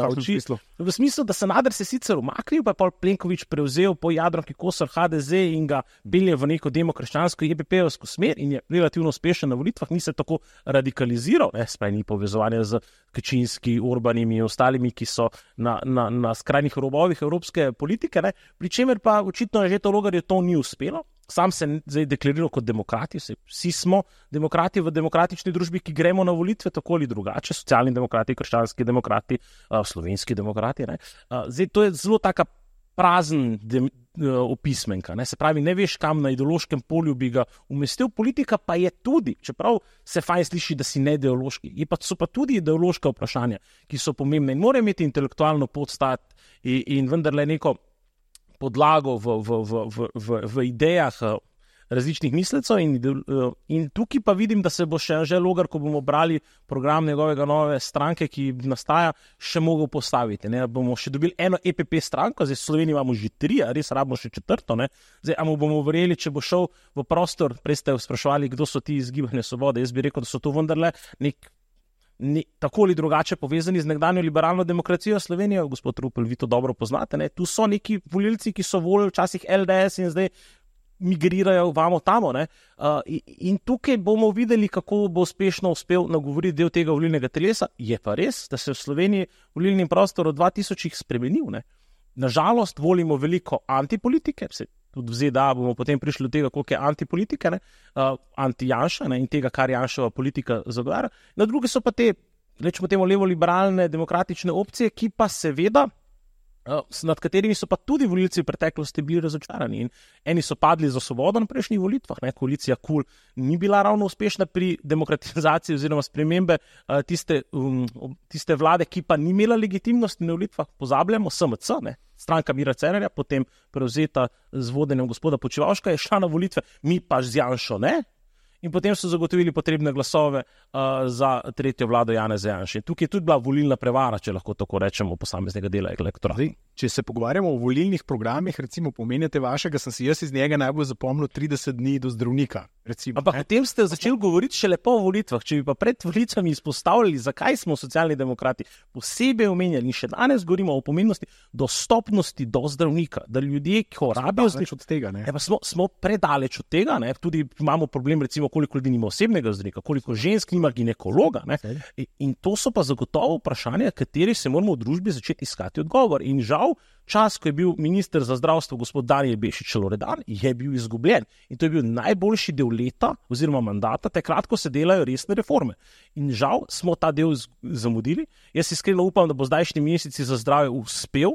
oči. V smislu, da Sanader se sicer umaknil, pa je pol Plenković prevzel po Jadranki Kosor HDZ in ga belje v neko demokrščansko JPP-ovsko smer in je relativno uspešen na volitvah, ni se tako radikaliziral, spaj ni povezovanja z Kačinski, Orbanimi in ostalimi, ki so na skrajnih robovih evropske politike, pri čemer pa očitno je že to Logar, je to ni uspelo. Sam se zdaj deklariral kot demokrati, vsi smo demokrati v demokratični družbi, ki gremo na volitve tako ali drugače, socialni demokrati, krščanski demokrati, slovenski demokrati. Zdaj, to je zelo taka prazen opismenka, se pravi, ne veš, kam na ideološkem polju bi ga umestil, politika pa je tudi, čeprav se fajn sliši, da si ne ideološki, so pa tudi ideološka vprašanja, ki so pomembne in morajo imeti intelektualno podstat in vendarle neko podlago v idejah različnih mislecev in tukaj pa vidim, da se bo še Anže Logar, ko bomo brali program njegovega nove stranke, ki nastaja, še mogel postaviti. Bomo še dobili eno EPP stranko, zdaj v Sloveniji imamo že 3, a res rabimo še 4. Zdaj, a mu bomo verjeli, če bo šel v prostor, prej ste spraševali, kdo so ti iz Gibanja Svobode, jaz bi rekel, da so to vendarle tako ali drugače povezani z nekdanjo liberalno demokracijo Slovenije. Gospod Rupel, vi to dobro poznate. Tu so neki volilci, ki so volili včasih LDS in zdaj migrirajo vamo tamo. In tukaj bomo videli, kako bo uspešno uspel nagovoriti del tega volilnega telesa. Je pa res, da se v Sloveniji volilni prostor od 2000 spremenil. Nažalost, volimo veliko antipolitike, tudi v ZDA bomo potem prišli do tega, koliko je antipolitike, anti-Janša in tega, kar Janševa politika zagovarja. Na druge so pa te, rečemo temu, levo-liberalne demokratične opcije, ki pa seveda, nad katerimi so pa tudi volilci v preteklosti bili razočarani. In eni so padli za Svobodo na prejšnjih volitvah, koalicija KUL ni bila ravno uspešna pri demokratizaciji oziroma spremembe tiste vlade, ki pa ni imela legitimnosti na volitvah. Pozabljamo, SMC, stranka Mira Cerarja, potem prevzeta z vodenjem gospoda Počivalška, je šla na volitve, mi pa z Janšo ne. In potem so zagotovili potrebne glasove za tretjo vlado Janeza Janše. Tukaj je tudi bila volilna prevara, če lahko tako rečemo, posameznega dela elektorata. Če se pogovarjamo o volilnih programih, recimo pomenjate vašega, sem si jaz iz njega najbolj zapomnil 30 dni do zdravnika. Ampak potem ste začeli govoriti šele po volitvah. Če bi pa pred volitvami izpostavljali, zakaj smo socialni demokrati posebej omenjali in še danes govorimo o pomembnosti dostopnosti do zdravnika, da ljudje, ki rabijo zdravnika, smo predaleč od tega, tudi imamo problem, recimo, koliko ljudi nima osebnega zdravnika, koliko žensk nima ginekologa. In to so pa zagotovo vprašanja, kateri se moramo v družbi začeti iskati odgovor. In žal, čas, ko je bil minister za zdravstvo gospod Danijel Bešič Loredan, je bil izgubljen. In to je bil najboljši del leta oziroma mandata, takrat, ko se delajo resne reforme. In žal smo ta del zamudili. Jaz iskreno upam, da bo zdajšnji meseci za zdravje uspel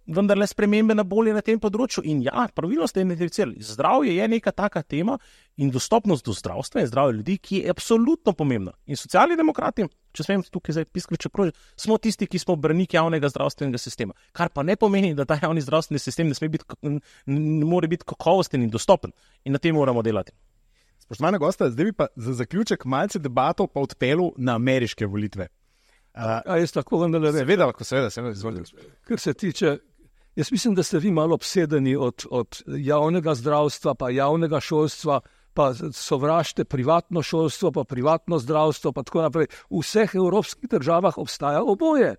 vendarle spremembe na bolje na tem področju. In ja, pravilno ste identificirali. Zdravje je neka taka tema in dostopnost do zdravstva in zdravja ljudi, ki je absolutno pomembna. In socialni demokrati, če smem tukaj zdaj piskriče kroži, smo tisti, ki smo braniki javnega zdravstvenega sistema. Kar pa ne pomeni, da ta javni zdravstveni sistem ne more biti kakovosten in dostopen. In na tem moramo delati. Spoštovana gosta, zdaj bi pa za zaključek malce debato pa odpeljal na ameriške volitve. Jaz tako vendarle rečem. Seveda, izvolite. Kar se tiče, jaz mislim, da ste vi malo obsedeni od javnega zdravstva, pa javnega šolstva, pa sovražite privatno šolstvo, pa privatno zdravstvo, pa tako naprej. V vseh evropskih državah obstaja oboje.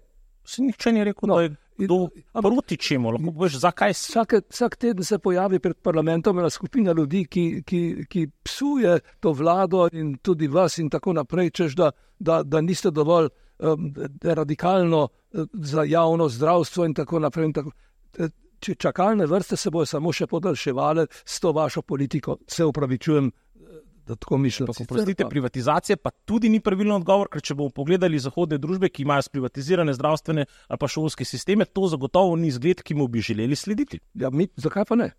Se nihče ni rekel, da je kdo proti čemu, lahko poveš, zakaj vsak teden se pojavi pred parlamentom ena skupina ljudi, ki psuje to vlado in tudi vas in tako naprej, češ da niste dovolj radikalno za javno zdravstvo in tako naprej. Čakalne vrste se bojo samo še podaljševale s to vašo politiko. Se upravičujem, da tako mislim. Prostite, privatizacija pa tudi ni pravilen odgovor, ker če bomo pogledali zahodne družbe, ki imajo sprivatizirane zdravstvene ali pa šolske sisteme, to zagotovo ni zgled, ki mu bi želeli slediti. Ja, zakaj pa ne?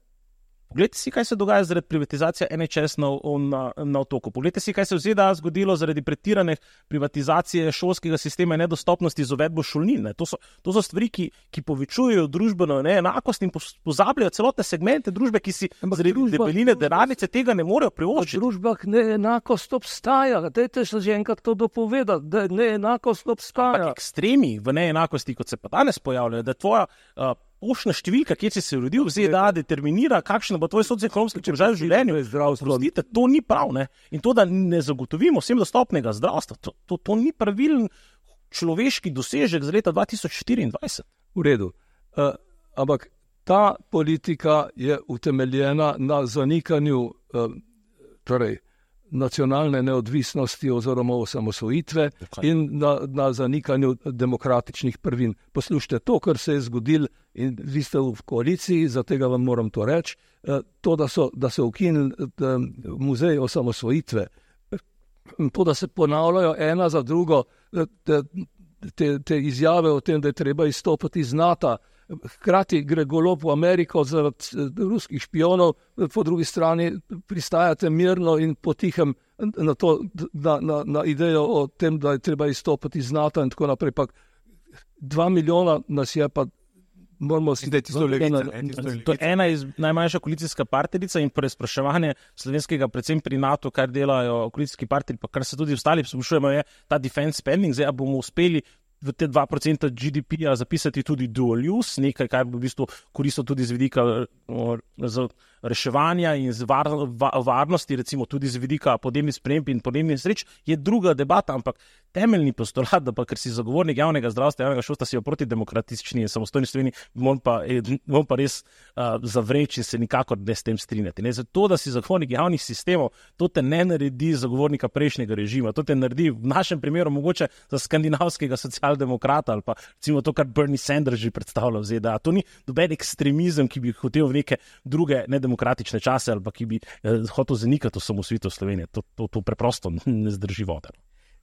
Poglejte si, kaj se dogaja zaradi privatizacije NHS na otoku. Poglejte si, kaj se v ZDA zgodilo zaradi pretirane privatizacije šolskega sistema in nedostopnosti z uvedbo šolnin. To so stvari, ki povečujejo družbeno neenakost in pozabljajo celotne segmente družbe, ki si zaradi debeline denarnice tega ne morejo privoščiti. V družbah neenakost obstaja. Dajte se že enkrat to dopovedati, da neenakost obstaja. Ampak ekstremi v neenakosti, kot se pa danes pojavljajo, da tvoja poštna številka, kjer si se rodil v ZDA, determinira, kakšen bo tvoj socioekonomski položaj v življenju. Prostite, to ni prav, ne? In to, da ne zagotovimo vsem dostopnega zdravstva, to ni pravilen človeški dosežek za leta 2024. V redu. Ampak ta politika je utemeljena na zanikanju nacionalne neodvisnosti oziroma osamosvojitve in na zanikanju demokratičnih prvin. Poslušajte, to, kar se je zgodilo in vi ste v koaliciji, za tega vam moram to reči, to, da so ukinili muzej osamosvojitve, to, da se ponavljajo ena za drugo te izjave o tem, da je treba izstopiti iz NATO, hkrati gre Golob v Ameriko zaradi ruskih špionov, po drugi strani pristajate mirno in potihem na idejo o tem, da je treba izstopiti iz NATO in tako naprej. Pa 2 milijona nas je pa moramo si dati zelo To je ena iz najmanjša koalicijska partnerica in preizpraševanje slovenskega, predvsem pri NATO, kar delajo koalicijski partneri, pa kar se tudi ostali sprašujemo, je ta defense spending. Zdaj, bomo uspeli v te 2% GDP-ja zapisati tudi dual use, nekaj, kar bi v bistvu koristilo tudi z vidika reševanja in z varnosti, recimo tudi z vidika podnebnih sprememb in podnebnih nesreč, je druga debata, ampak temeljni postulat, da pa ker si zagovornik javnega zdravstva, javnega šolstva, si jo proti demokratični in samostojni Sloveniji, bom pa res zavreči in se nikakor ne s tem strinjati. Ne? Zato, da si zagovornik javnih sistemov, to te ne naredi zagovornika prejšnjega režima, to te naredi v našem primeru mogoče za skandinavskega socialdemokrata ali pa recimo to, kar Bernie Sanders že predstavlja v ZDA. To ni doben ekstremizem, ki bi hotel v neke druge nedemokratične čase ali pa ki bi hotel zanikati osamosvojitev Slovenije. To preprosto ne zdrži vode.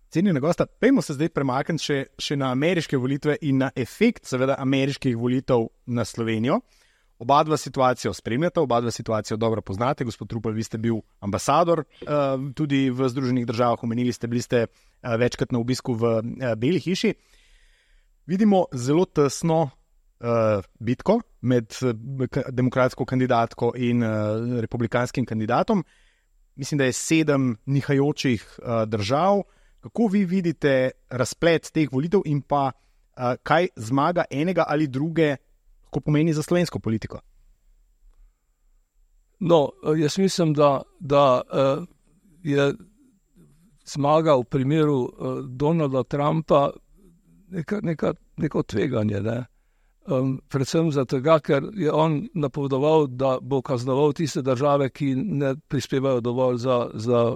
Cenjena gosta, pejmo se zdaj premakniti še na ameriške volitve in na efekt seveda ameriških volitev na Slovenijo. Oba dva situacijo spremljata, oba dva situacijo dobro poznate. Gospod Rupel, vi ste bil ambasador tudi v Združenih državah, omenili ste, bili ste večkrat na obisku v Beli hiši. Vidimo zelo tesno bitko med demokratsko kandidatko in republikanskim kandidatom. Mislim, da je 7 nihajočih držav. Kako vi vidite razplet teh volitev in pa kaj zmaga enega ali druge, ko pomeni za slovensko politiko? No, jaz mislim, da je zmaga v primeru Donalda Trumpa neko tveganje, ne? Predvsem zato, ker je on napovedoval, da bo kaznoval tiste države, ki ne prispevajo dovolj za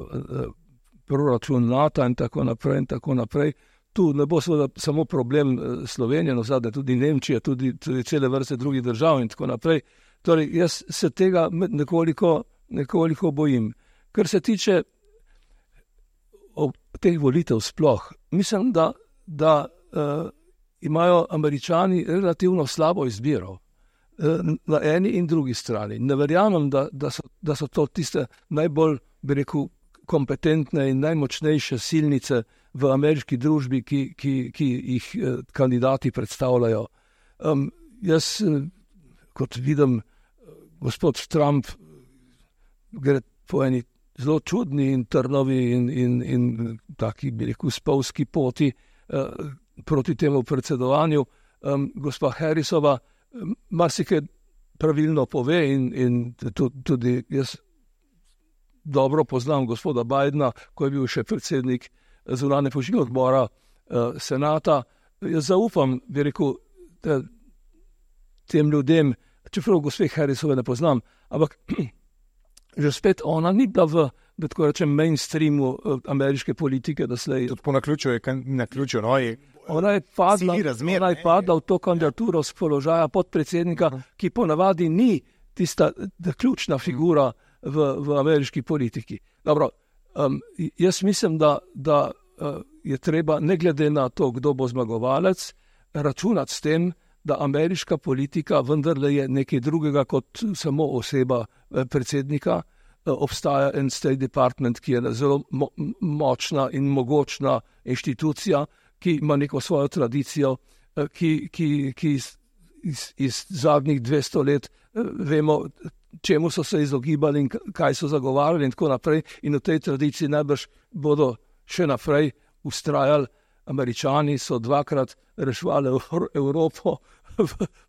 proračun NATO in tako naprej in tako naprej. Tu ne bo seveda samo problem Slovenije, no zadnje tudi Nemčije, tudi cele vrste drugih držav in tako naprej. Torej, jaz se tega nekoliko bojim. Kar se tiče teh volitev sploh, mislim, da imajo Američani relativno slabo izbiro na eni in drugi strani. Ne verjamem, da so to tiste najbolj, bi rekel, kompetentne in najmočnejše silnice v ameriški družbi, ki jih kandidati predstavljajo. Jaz, kot vidim, gospod Trump gre po eni zelo čudni in trnovi in taki, bi rekel, spolski poti proti temu predsedovanju. Gospa Harrisova marsikaj pravilno pove in tudi jaz dobro poznam gospoda Bidena, ko je bil še predsednik zunanje politike odbora senata. Jaz zaupam, bi rekel, tem ljudem, čeprav gospe Harrisove ne poznam, ampak že spet ona ni bila da tako rečem, mainstreamu ameriške politike doslej. Tudi po naključju je Ona je padla v to kandidaturo z položaja podpredsednika, ki ponavadi ni tista ključna figura v ameriški politiki. Dobro, jaz mislim, da je treba, ne glede na to, kdo bo zmagovalec, računati s tem, da ameriška politika vendarle je nekaj drugega kot samo oseba predsednika. Obstaja en State Department, ki je zelo močna in mogočna inštitucija, ki ima neko svojo tradicijo, ki iz zadnjih 200 let vemo, čemu so se izogibali in kaj so zagovarjali in tako naprej. In v tej tradiciji najbrž bodo še naprej ustrajali. Američani so dvakrat reševali Evropo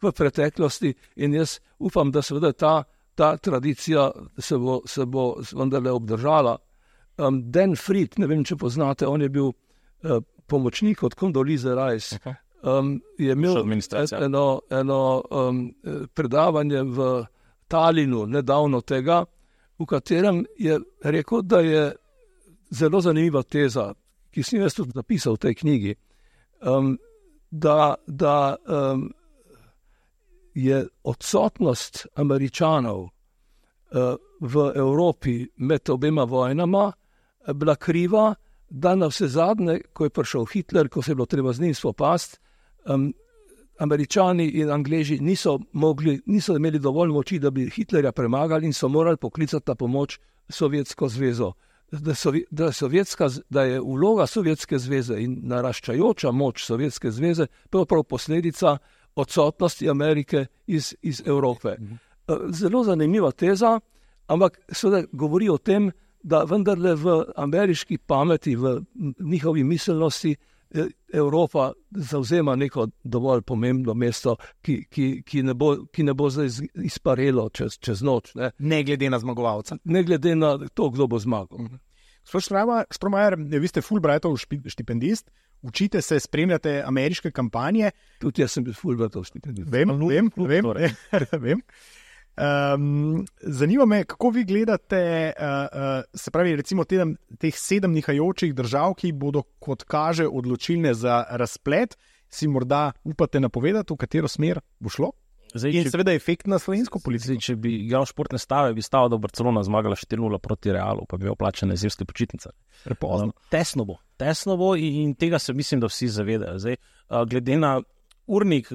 v preteklosti in jaz upam, da seveda ta tradicija se bo vendarle obdržala. Dan Fried, ne vem, če poznate, on je bil pomočnik od Condoleezza Rice. Je imel eno predavanje v Talinu nedavno tega, v katerem je rekel, da je zelo zanimiva teza, ki sem jaz tudi napisal v tej knjigi, da je odsotnost Američanov v Evropi med obema vojnama bila kriva, da na vse zadnje, ko je prišel Hitler, ko se je bilo treba z njim spopasti, Američani in Angleži niso imeli dovolj moči, da bi Hitlerja premagali in so morali poklicati na pomoč Sovjetsko zvezo. Da je vloga Sovjetske zveze in naraščajoča moč Sovjetske zveze prav posledica odsotnosti Amerike iz Evrope. Zelo zanimiva teza, ampak seveda govori o tem, da vendarle v ameriški pameti, v njihovi miselnosti Evropa zavzema neko dovolj pomembno mesto, ki ne bo zdaj izparelo čez noč. Ne glede na zmagovalca. Ne glede na to, kdo bo zmagal. Gospod Štromajer, vi ste Fulbrightov štipendist, učite se, spremljate ameriške kampanje. Tudi jaz sem bil Fulbrightov štipendist. Vem. Zanima me, kako vi gledate, se pravi, recimo teh 7 nihajočih držav, ki bodo, kot kaže, odločilne za razplet. Si morda upate napovedati, v katero smer bo šlo? In seveda efekt na slovensko politiko. Če bi igral športne stave, bi stalo, da bo Barcelona zmagala 4-0 proti Realu, pa bi imel plačane zimske počitnice. Prepozno. Tesno bo in tega se mislim, da vsi zavedajo. Zdaj, glede na urnik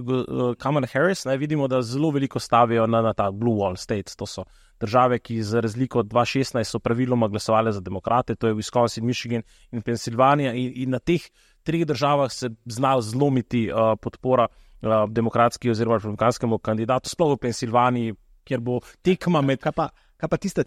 Kamala Harris, vidimo, da zelo veliko stavijo na ta Blue Wall States. To so države, ki za razliko od 2016 so praviloma glasovali za demokrate, to je Wisconsin, Michigan in Pensilvanija in na teh 3 državah se zna zlomiti podpora demokratski oziroma republikanskemu kandidatu, sploh v Pensilvaniji, kjer bo tekma med... Kaj pa tista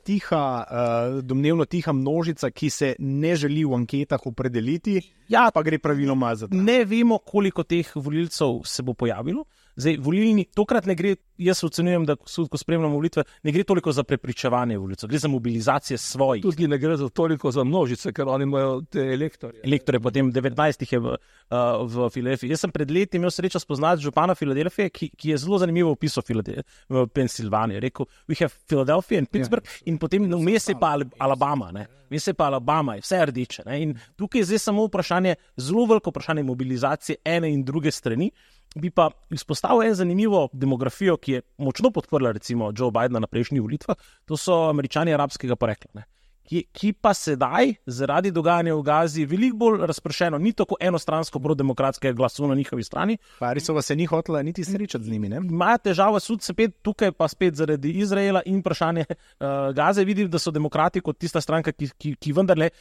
domnevno tiha množica, ki se ne želi v anketah opredeliti, pa gre praviloma za to? Ne vemo, koliko teh volilcev se bo pojavilo. Zdaj, volilni, tokrat ne gre, jaz ocenjujem, da ko spremljamo volitve, ne gre toliko za prepričevanje volilcev, gre za mobilizacije svojih. Tudi ne gre za toliko za množice, ker oni imajo te elektorje. Elektorje, potem 19 jih je v Filadelfiji. Jaz sem pred leti imel srečo spoznati župana Filadelfije, ki je zelo zanimivo opisal v Pensilvaniji. Rekel, we have Philadelphia in Pittsburgh, in potem vmes je pa Alabama, vmes je pa Alabama, je vse rdeče. In tukaj je zdaj samo vprašanje, zelo veliko vprašanje mobilizacije ene in druge strani. Bi pa izpostavil en zanimivo demografijo, ki je močno podprla recimo Joe Bidena na prejšnjih volitvah, to so Američani arabskega porekla, ki pa sedaj, zaradi dogajanja v Gazi, veliko bolj razpršeno, ni tako enostransko prodemokratskega glasu na njihovi strani. Parisova se ni hotela niti srečati z njimi, ne? Imajo težavo sud spet tukaj, pa spet zaradi Izraela in vprašanje Gaze. Vidim, da so demokrati kot tista stranka, ki vendarle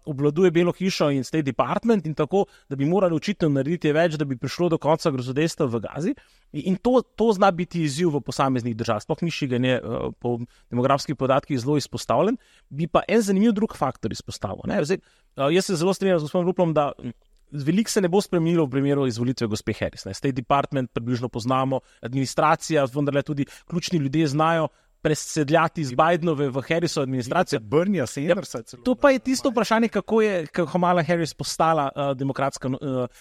obvladuje Belo hišo in State Department in tako, da bi morali očitno narediti več, da bi prišlo do konca grozodejstva v Gazi. In to zna biti izziv v posameznih državah. Sploh Michigan je po demografskih podatkih zelo izpostavljen. Bi pa en zanimiv drug faktor izpostavil. Zdaj, jaz se zelo strinjam z gospodom Ruplom, da veliko se ne bo spremenilo v primeru izvolitve gospe Harris. State Department približno poznamo, administracija, vendarle tudi ključni ljudje znajo presedljati iz Bidenove v Harrisovo administracijo. Bernie Sandersa. To pa je tisto vprašanje, kako je Kamala Harris postala demokratska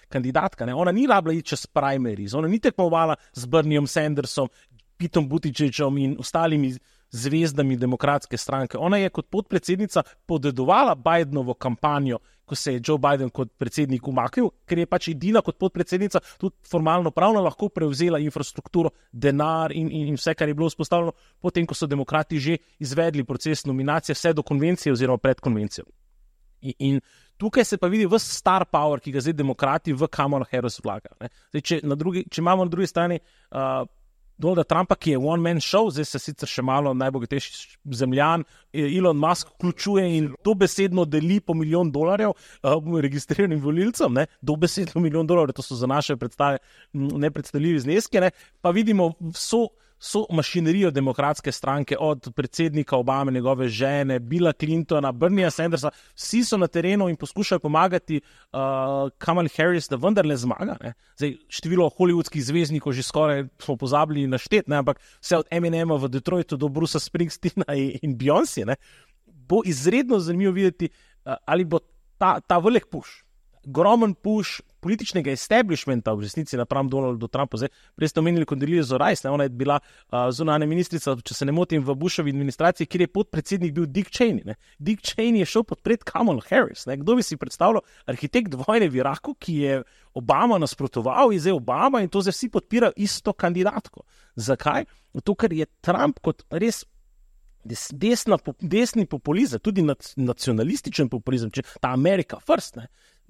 kandidatka. Ona ni rabila iti čez primaries, ona ni tekmovala z Bernieom Sandersom, Petom Buttigiegom in ostalimi zvezdami demokratske stranke. Ona je kot podpredsednica podedovala Bidenovo kampanjo, ko se je Joe Biden kot predsednik umaknil, ker je pač edina kot podpredsednica tudi formalno pravno lahko prevzela infrastrukturo, denar in vse, kar je bilo vzpostavljeno, potem, ko so demokrati že izvedli proces nominacije vse do konvencije oziroma pred konvencijo. In tukaj se pa vidi ves star power, ki ga zdaj demokrati v Kamala Harris vlagajo. Če imamo na drugi strani Donalda Trumpa, ki je one-man show, zdaj se sicer še malo najbogatejši zemljan, Elon Musk vključuje in dobesedno deli po $1 milijon registriranim volilcem, dobesedno $1 milijon, to so za naše predstave nepredstavljivi zneski, pa vidimo so mašinerijo demokratske stranke, od predsednika Obame, njegove žene, Billa Clintona, Berniea Sandersa, vsi so na terenu in poskušajo pomagati Kamali Harris, da vendarle zmaga. Zdaj, število hollywoodskih zvezdnikov že skoraj smo pozabili našteti, ampak vse od Eminema v Detroitu do Brucea Springsteena in Beyoncé, bo izredno zanimivo videti, ali bo ta velik push, gromen push političnega establishmenta v resnici napram Donaldu Trumpu. Zdaj, prej ste omenili Condoleezza Rice, ona je bila zunanja ministrica, če se ne motim, v Bushovi administraciji, kjer je podpredsednik bil Dick Cheney. Dick Cheney je šel podpret Kamala Harris. Kdo bi si predstavljal arhitekt vojne v Iraku, ki je Obama nasprotoval, in zdaj Obama, in to zdaj vsi podpirajo isto kandidatko. Zakaj? Zato, ker je Trump kot res desni populizem, tudi nacionalističen populizem, če ta America first,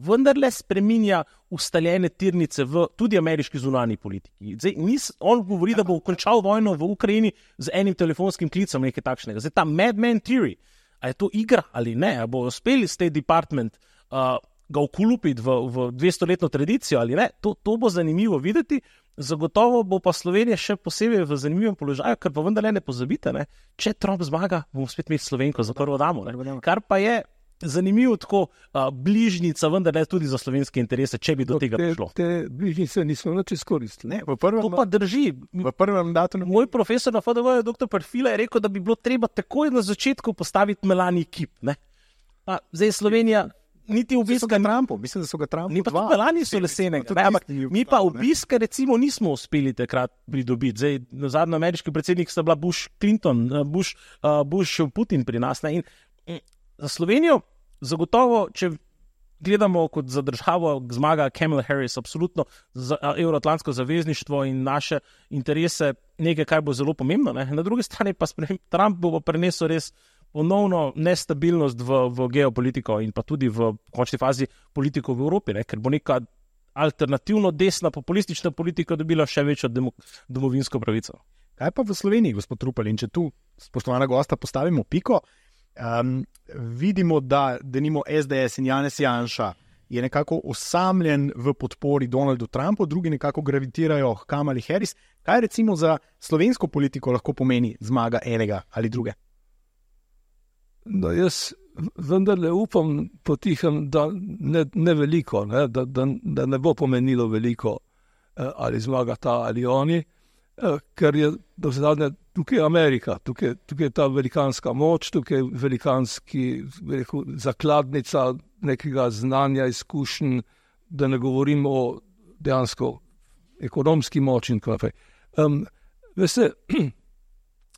vendarle spreminja ustaljene tirnice v tudi ameriški zunanji politiki. Zdaj, on govori, da bo končal vojno v Ukrajini z enim telefonskim klicem, nekaj takšnega. Zdaj, ta Madman Theory, a je to igra ali ne, a bo uspeli State Department ga vkulupiti v 200-letno tradicijo ali ne, to bo zanimivo videti. Zagotovo bo pa Slovenija še posebej v zanimivem položaju, ker pa vendarle ne pozabite, če Trump zmaga, bomo spet imeli Slovenko za prvo damo. Kar pa je zanimivo tako bližnica, vendar ne tudi za slovenske interese, če bi do tega prišlo. Te bližnice nismo nič izkoristili. To pa drži. V prvem mandatu. Moj profesor na FDV, dr. Perfila, je rekel, da bi bilo treba takoj na začetku postaviti Melanie kip. Zdaj Slovenija niti obiska Trumpu, mislim, da so ga Trumpu mi pa tudi Melanie so lesene, ampak mi pa obiska recimo nismo uspeli takrat pridobiti. Zdaj, zadnji ameriški predsednik sta bila Bush Clinton, Bush Putin pri nas. In za Slovenijo zagotovo, če gledamo kot za državo, zmaga Kamala Harris, absolutno za evroatlantsko zavezništvo in naše interese nekaj, kar bo zelo pomembno. Na drugi strani pa Trump bo prenesel res ponovno nestabilnost v geopolitiko in pa tudi v končni fazi politiko v Evropi, ker bo neka alternativno desna populistična politika dobila še večjo domovinsko pravico. Kaj pa v Sloveniji, gospod Rupel, in če tu, spoštovana gosta, postavimo piko, vidimo, da denimo SDS in Janez Janša je nekako osamljen v podpori Donaldu Trumpu, drugi nekako gravitirajo k Kamali Harris. Kaj recimo za slovensko politiko lahko pomeni zmaga enega ali druge? No, jaz vendarle upam potihem, da ne veliko, da ne bo pomenilo veliko, ali zmaga ta ali oni, ker je do zadnje tukaj Amerika, tukaj je ta velikanska moč, tukaj je velikanski zakladnica nekega znanja, izkušenj, da ne govorim o dejansko ekonomski moči in tako naprej. Veste,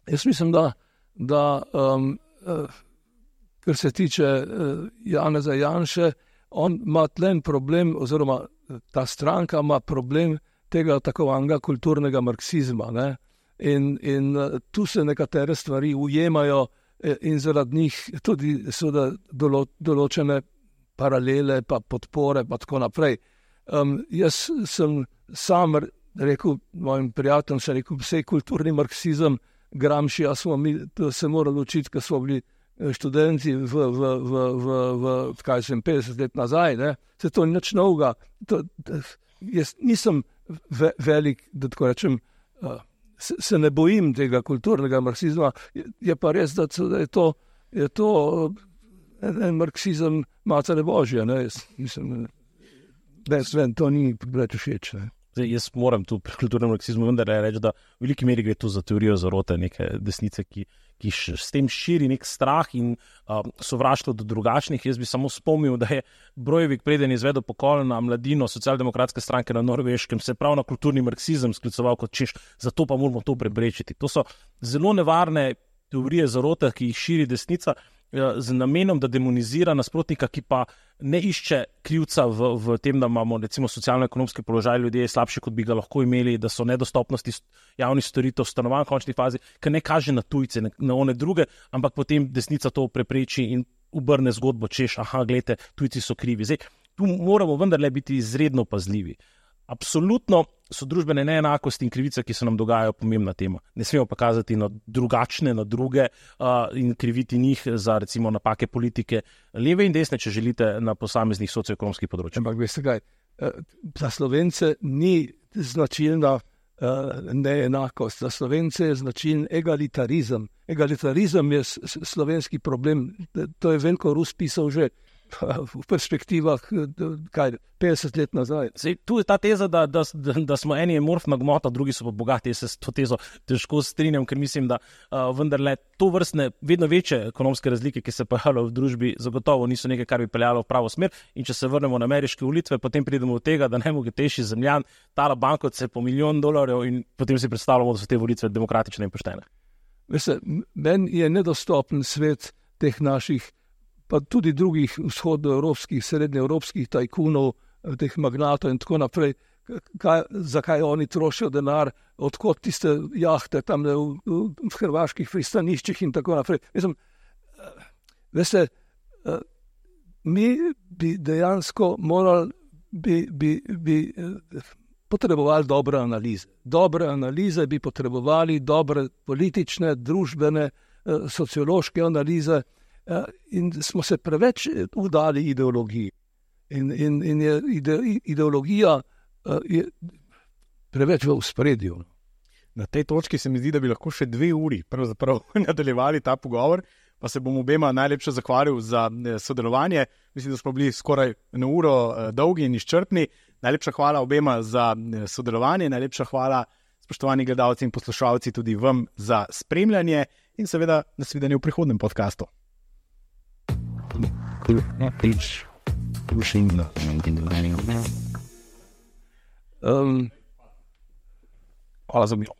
jaz mislim, da kar se tiče Janeza Janše, on ima tlen problem, oziroma ta stranka ima problem tega takovanega kulturnega marksizma. In tu se nekatere stvari ujemajo in zaradi njih tudi določene paralele, pa podpore, pa tako naprej. Jaz sem sam rekel mojim prijateljem, vse kulturni marksizem Gramscija smo mi se morali učiti, ko smo bili študenti v 50 let nazaj, ne? Se to ni nič novega. Jaz nisem velik, da tako rečem, se ne bojim tega kulturnega marksizma, je pa res, da je to en marksizem Matere Božje, ne? Mislim, to ni preveč všeč, ne? Zdaj, jaz moram tu pri kulturnem marksizmu vendar reči, da v veliki meri gre tu za teorijo zarote neke desnice, ki s tem širi nek strah in sovraštvo do drugačnih. Jaz bi samo spomnil, da je Breivik preden izvedel pokol na mladino socialdemokratske stranke na Norveškem, se prav na kulturni marksizem skliceval kot češ, zato pa moramo to preprečiti. To so zelo nevarne teorije zarote, ki jih širi desnica, z namenom, da demonizira nasprotnika, ki pa ne išče krivca v tem, da imamo recimo socialno-ekonomski položaj ljudje slabši, kot bi ga lahko imeli, da so nedostopnosti javnih storitev stanovanj v končni fazi, ker ne kaže na tujce, na one druge, ampak potem desnica to prepreči in obrne zgodbo, češ, gledajte, tujci so krivi. Zdaj, tu moramo vendarle biti izredno pazljivi. Absolutno so družbene neenakosti in krivice, ki se nam dogajajo, pomembna tema. Ne smemo pa kazati na drugačne, na druge in kriviti njih za recimo napake politike leve in desne, če želite, na posameznih socioekonomskih področjih. Ampak veste kaj, za Slovence ni značilna neenakost, za Slovence je značilen egalitarizem. Egalitarizem je slovenski problem, to je Veljko Rus pisal že v perspektivah 50 let nazaj. Zdaj, tu je ta teza, da smo eni amorfna gmota, drugi so pa bogati. Jaz se s to tezo težko strinjam, ker mislim, da vendarle to vrstne vedno večje ekonomske razlike, ki se pojavljajo v družbi, zagotovo niso nekaj, kar bi peljalo v pravo smer. In če se vrnemo na ameriške volitve, potem pridemo do tega, da najbogatejši zemljan tala bankovce po $1 milijon in potem si predstavljamo, da so te volitve demokratične in poštene. Veste, meni je nedostopen svet teh naših pa tudi drugih vzhodnoevropskih, srednjeevropskih tajkunov, teh magnatov in tako naprej, zakaj oni trošijo denar, odkot tiste jahte tam v hrvaških pristaniščih in tako naprej. Mislim, veste, mi bi dejansko morali, bi potrebovali dobre analize. Dobre analize bi potrebovali, dobre politične, družbene, sociološke analize, in smo se preveč vdali ideologiji. In je ideologija je preveč v ospredju. Na tej točki se mi zdi, da bi lahko še 2 uri pravzaprav nadaljevali ta pogovor, pa se bom obema najlepše zahvalil za sodelovanje. Mislim, da smo bili skoraj 1 uro dolgi in izčrpni. Najlepša hvala obema za sodelovanje, najlepša hvala spoštovani gledalci in poslušalci tudi vam za spremljanje in seveda nasvidenje v prihodnem podcastu. Hvala za bilo.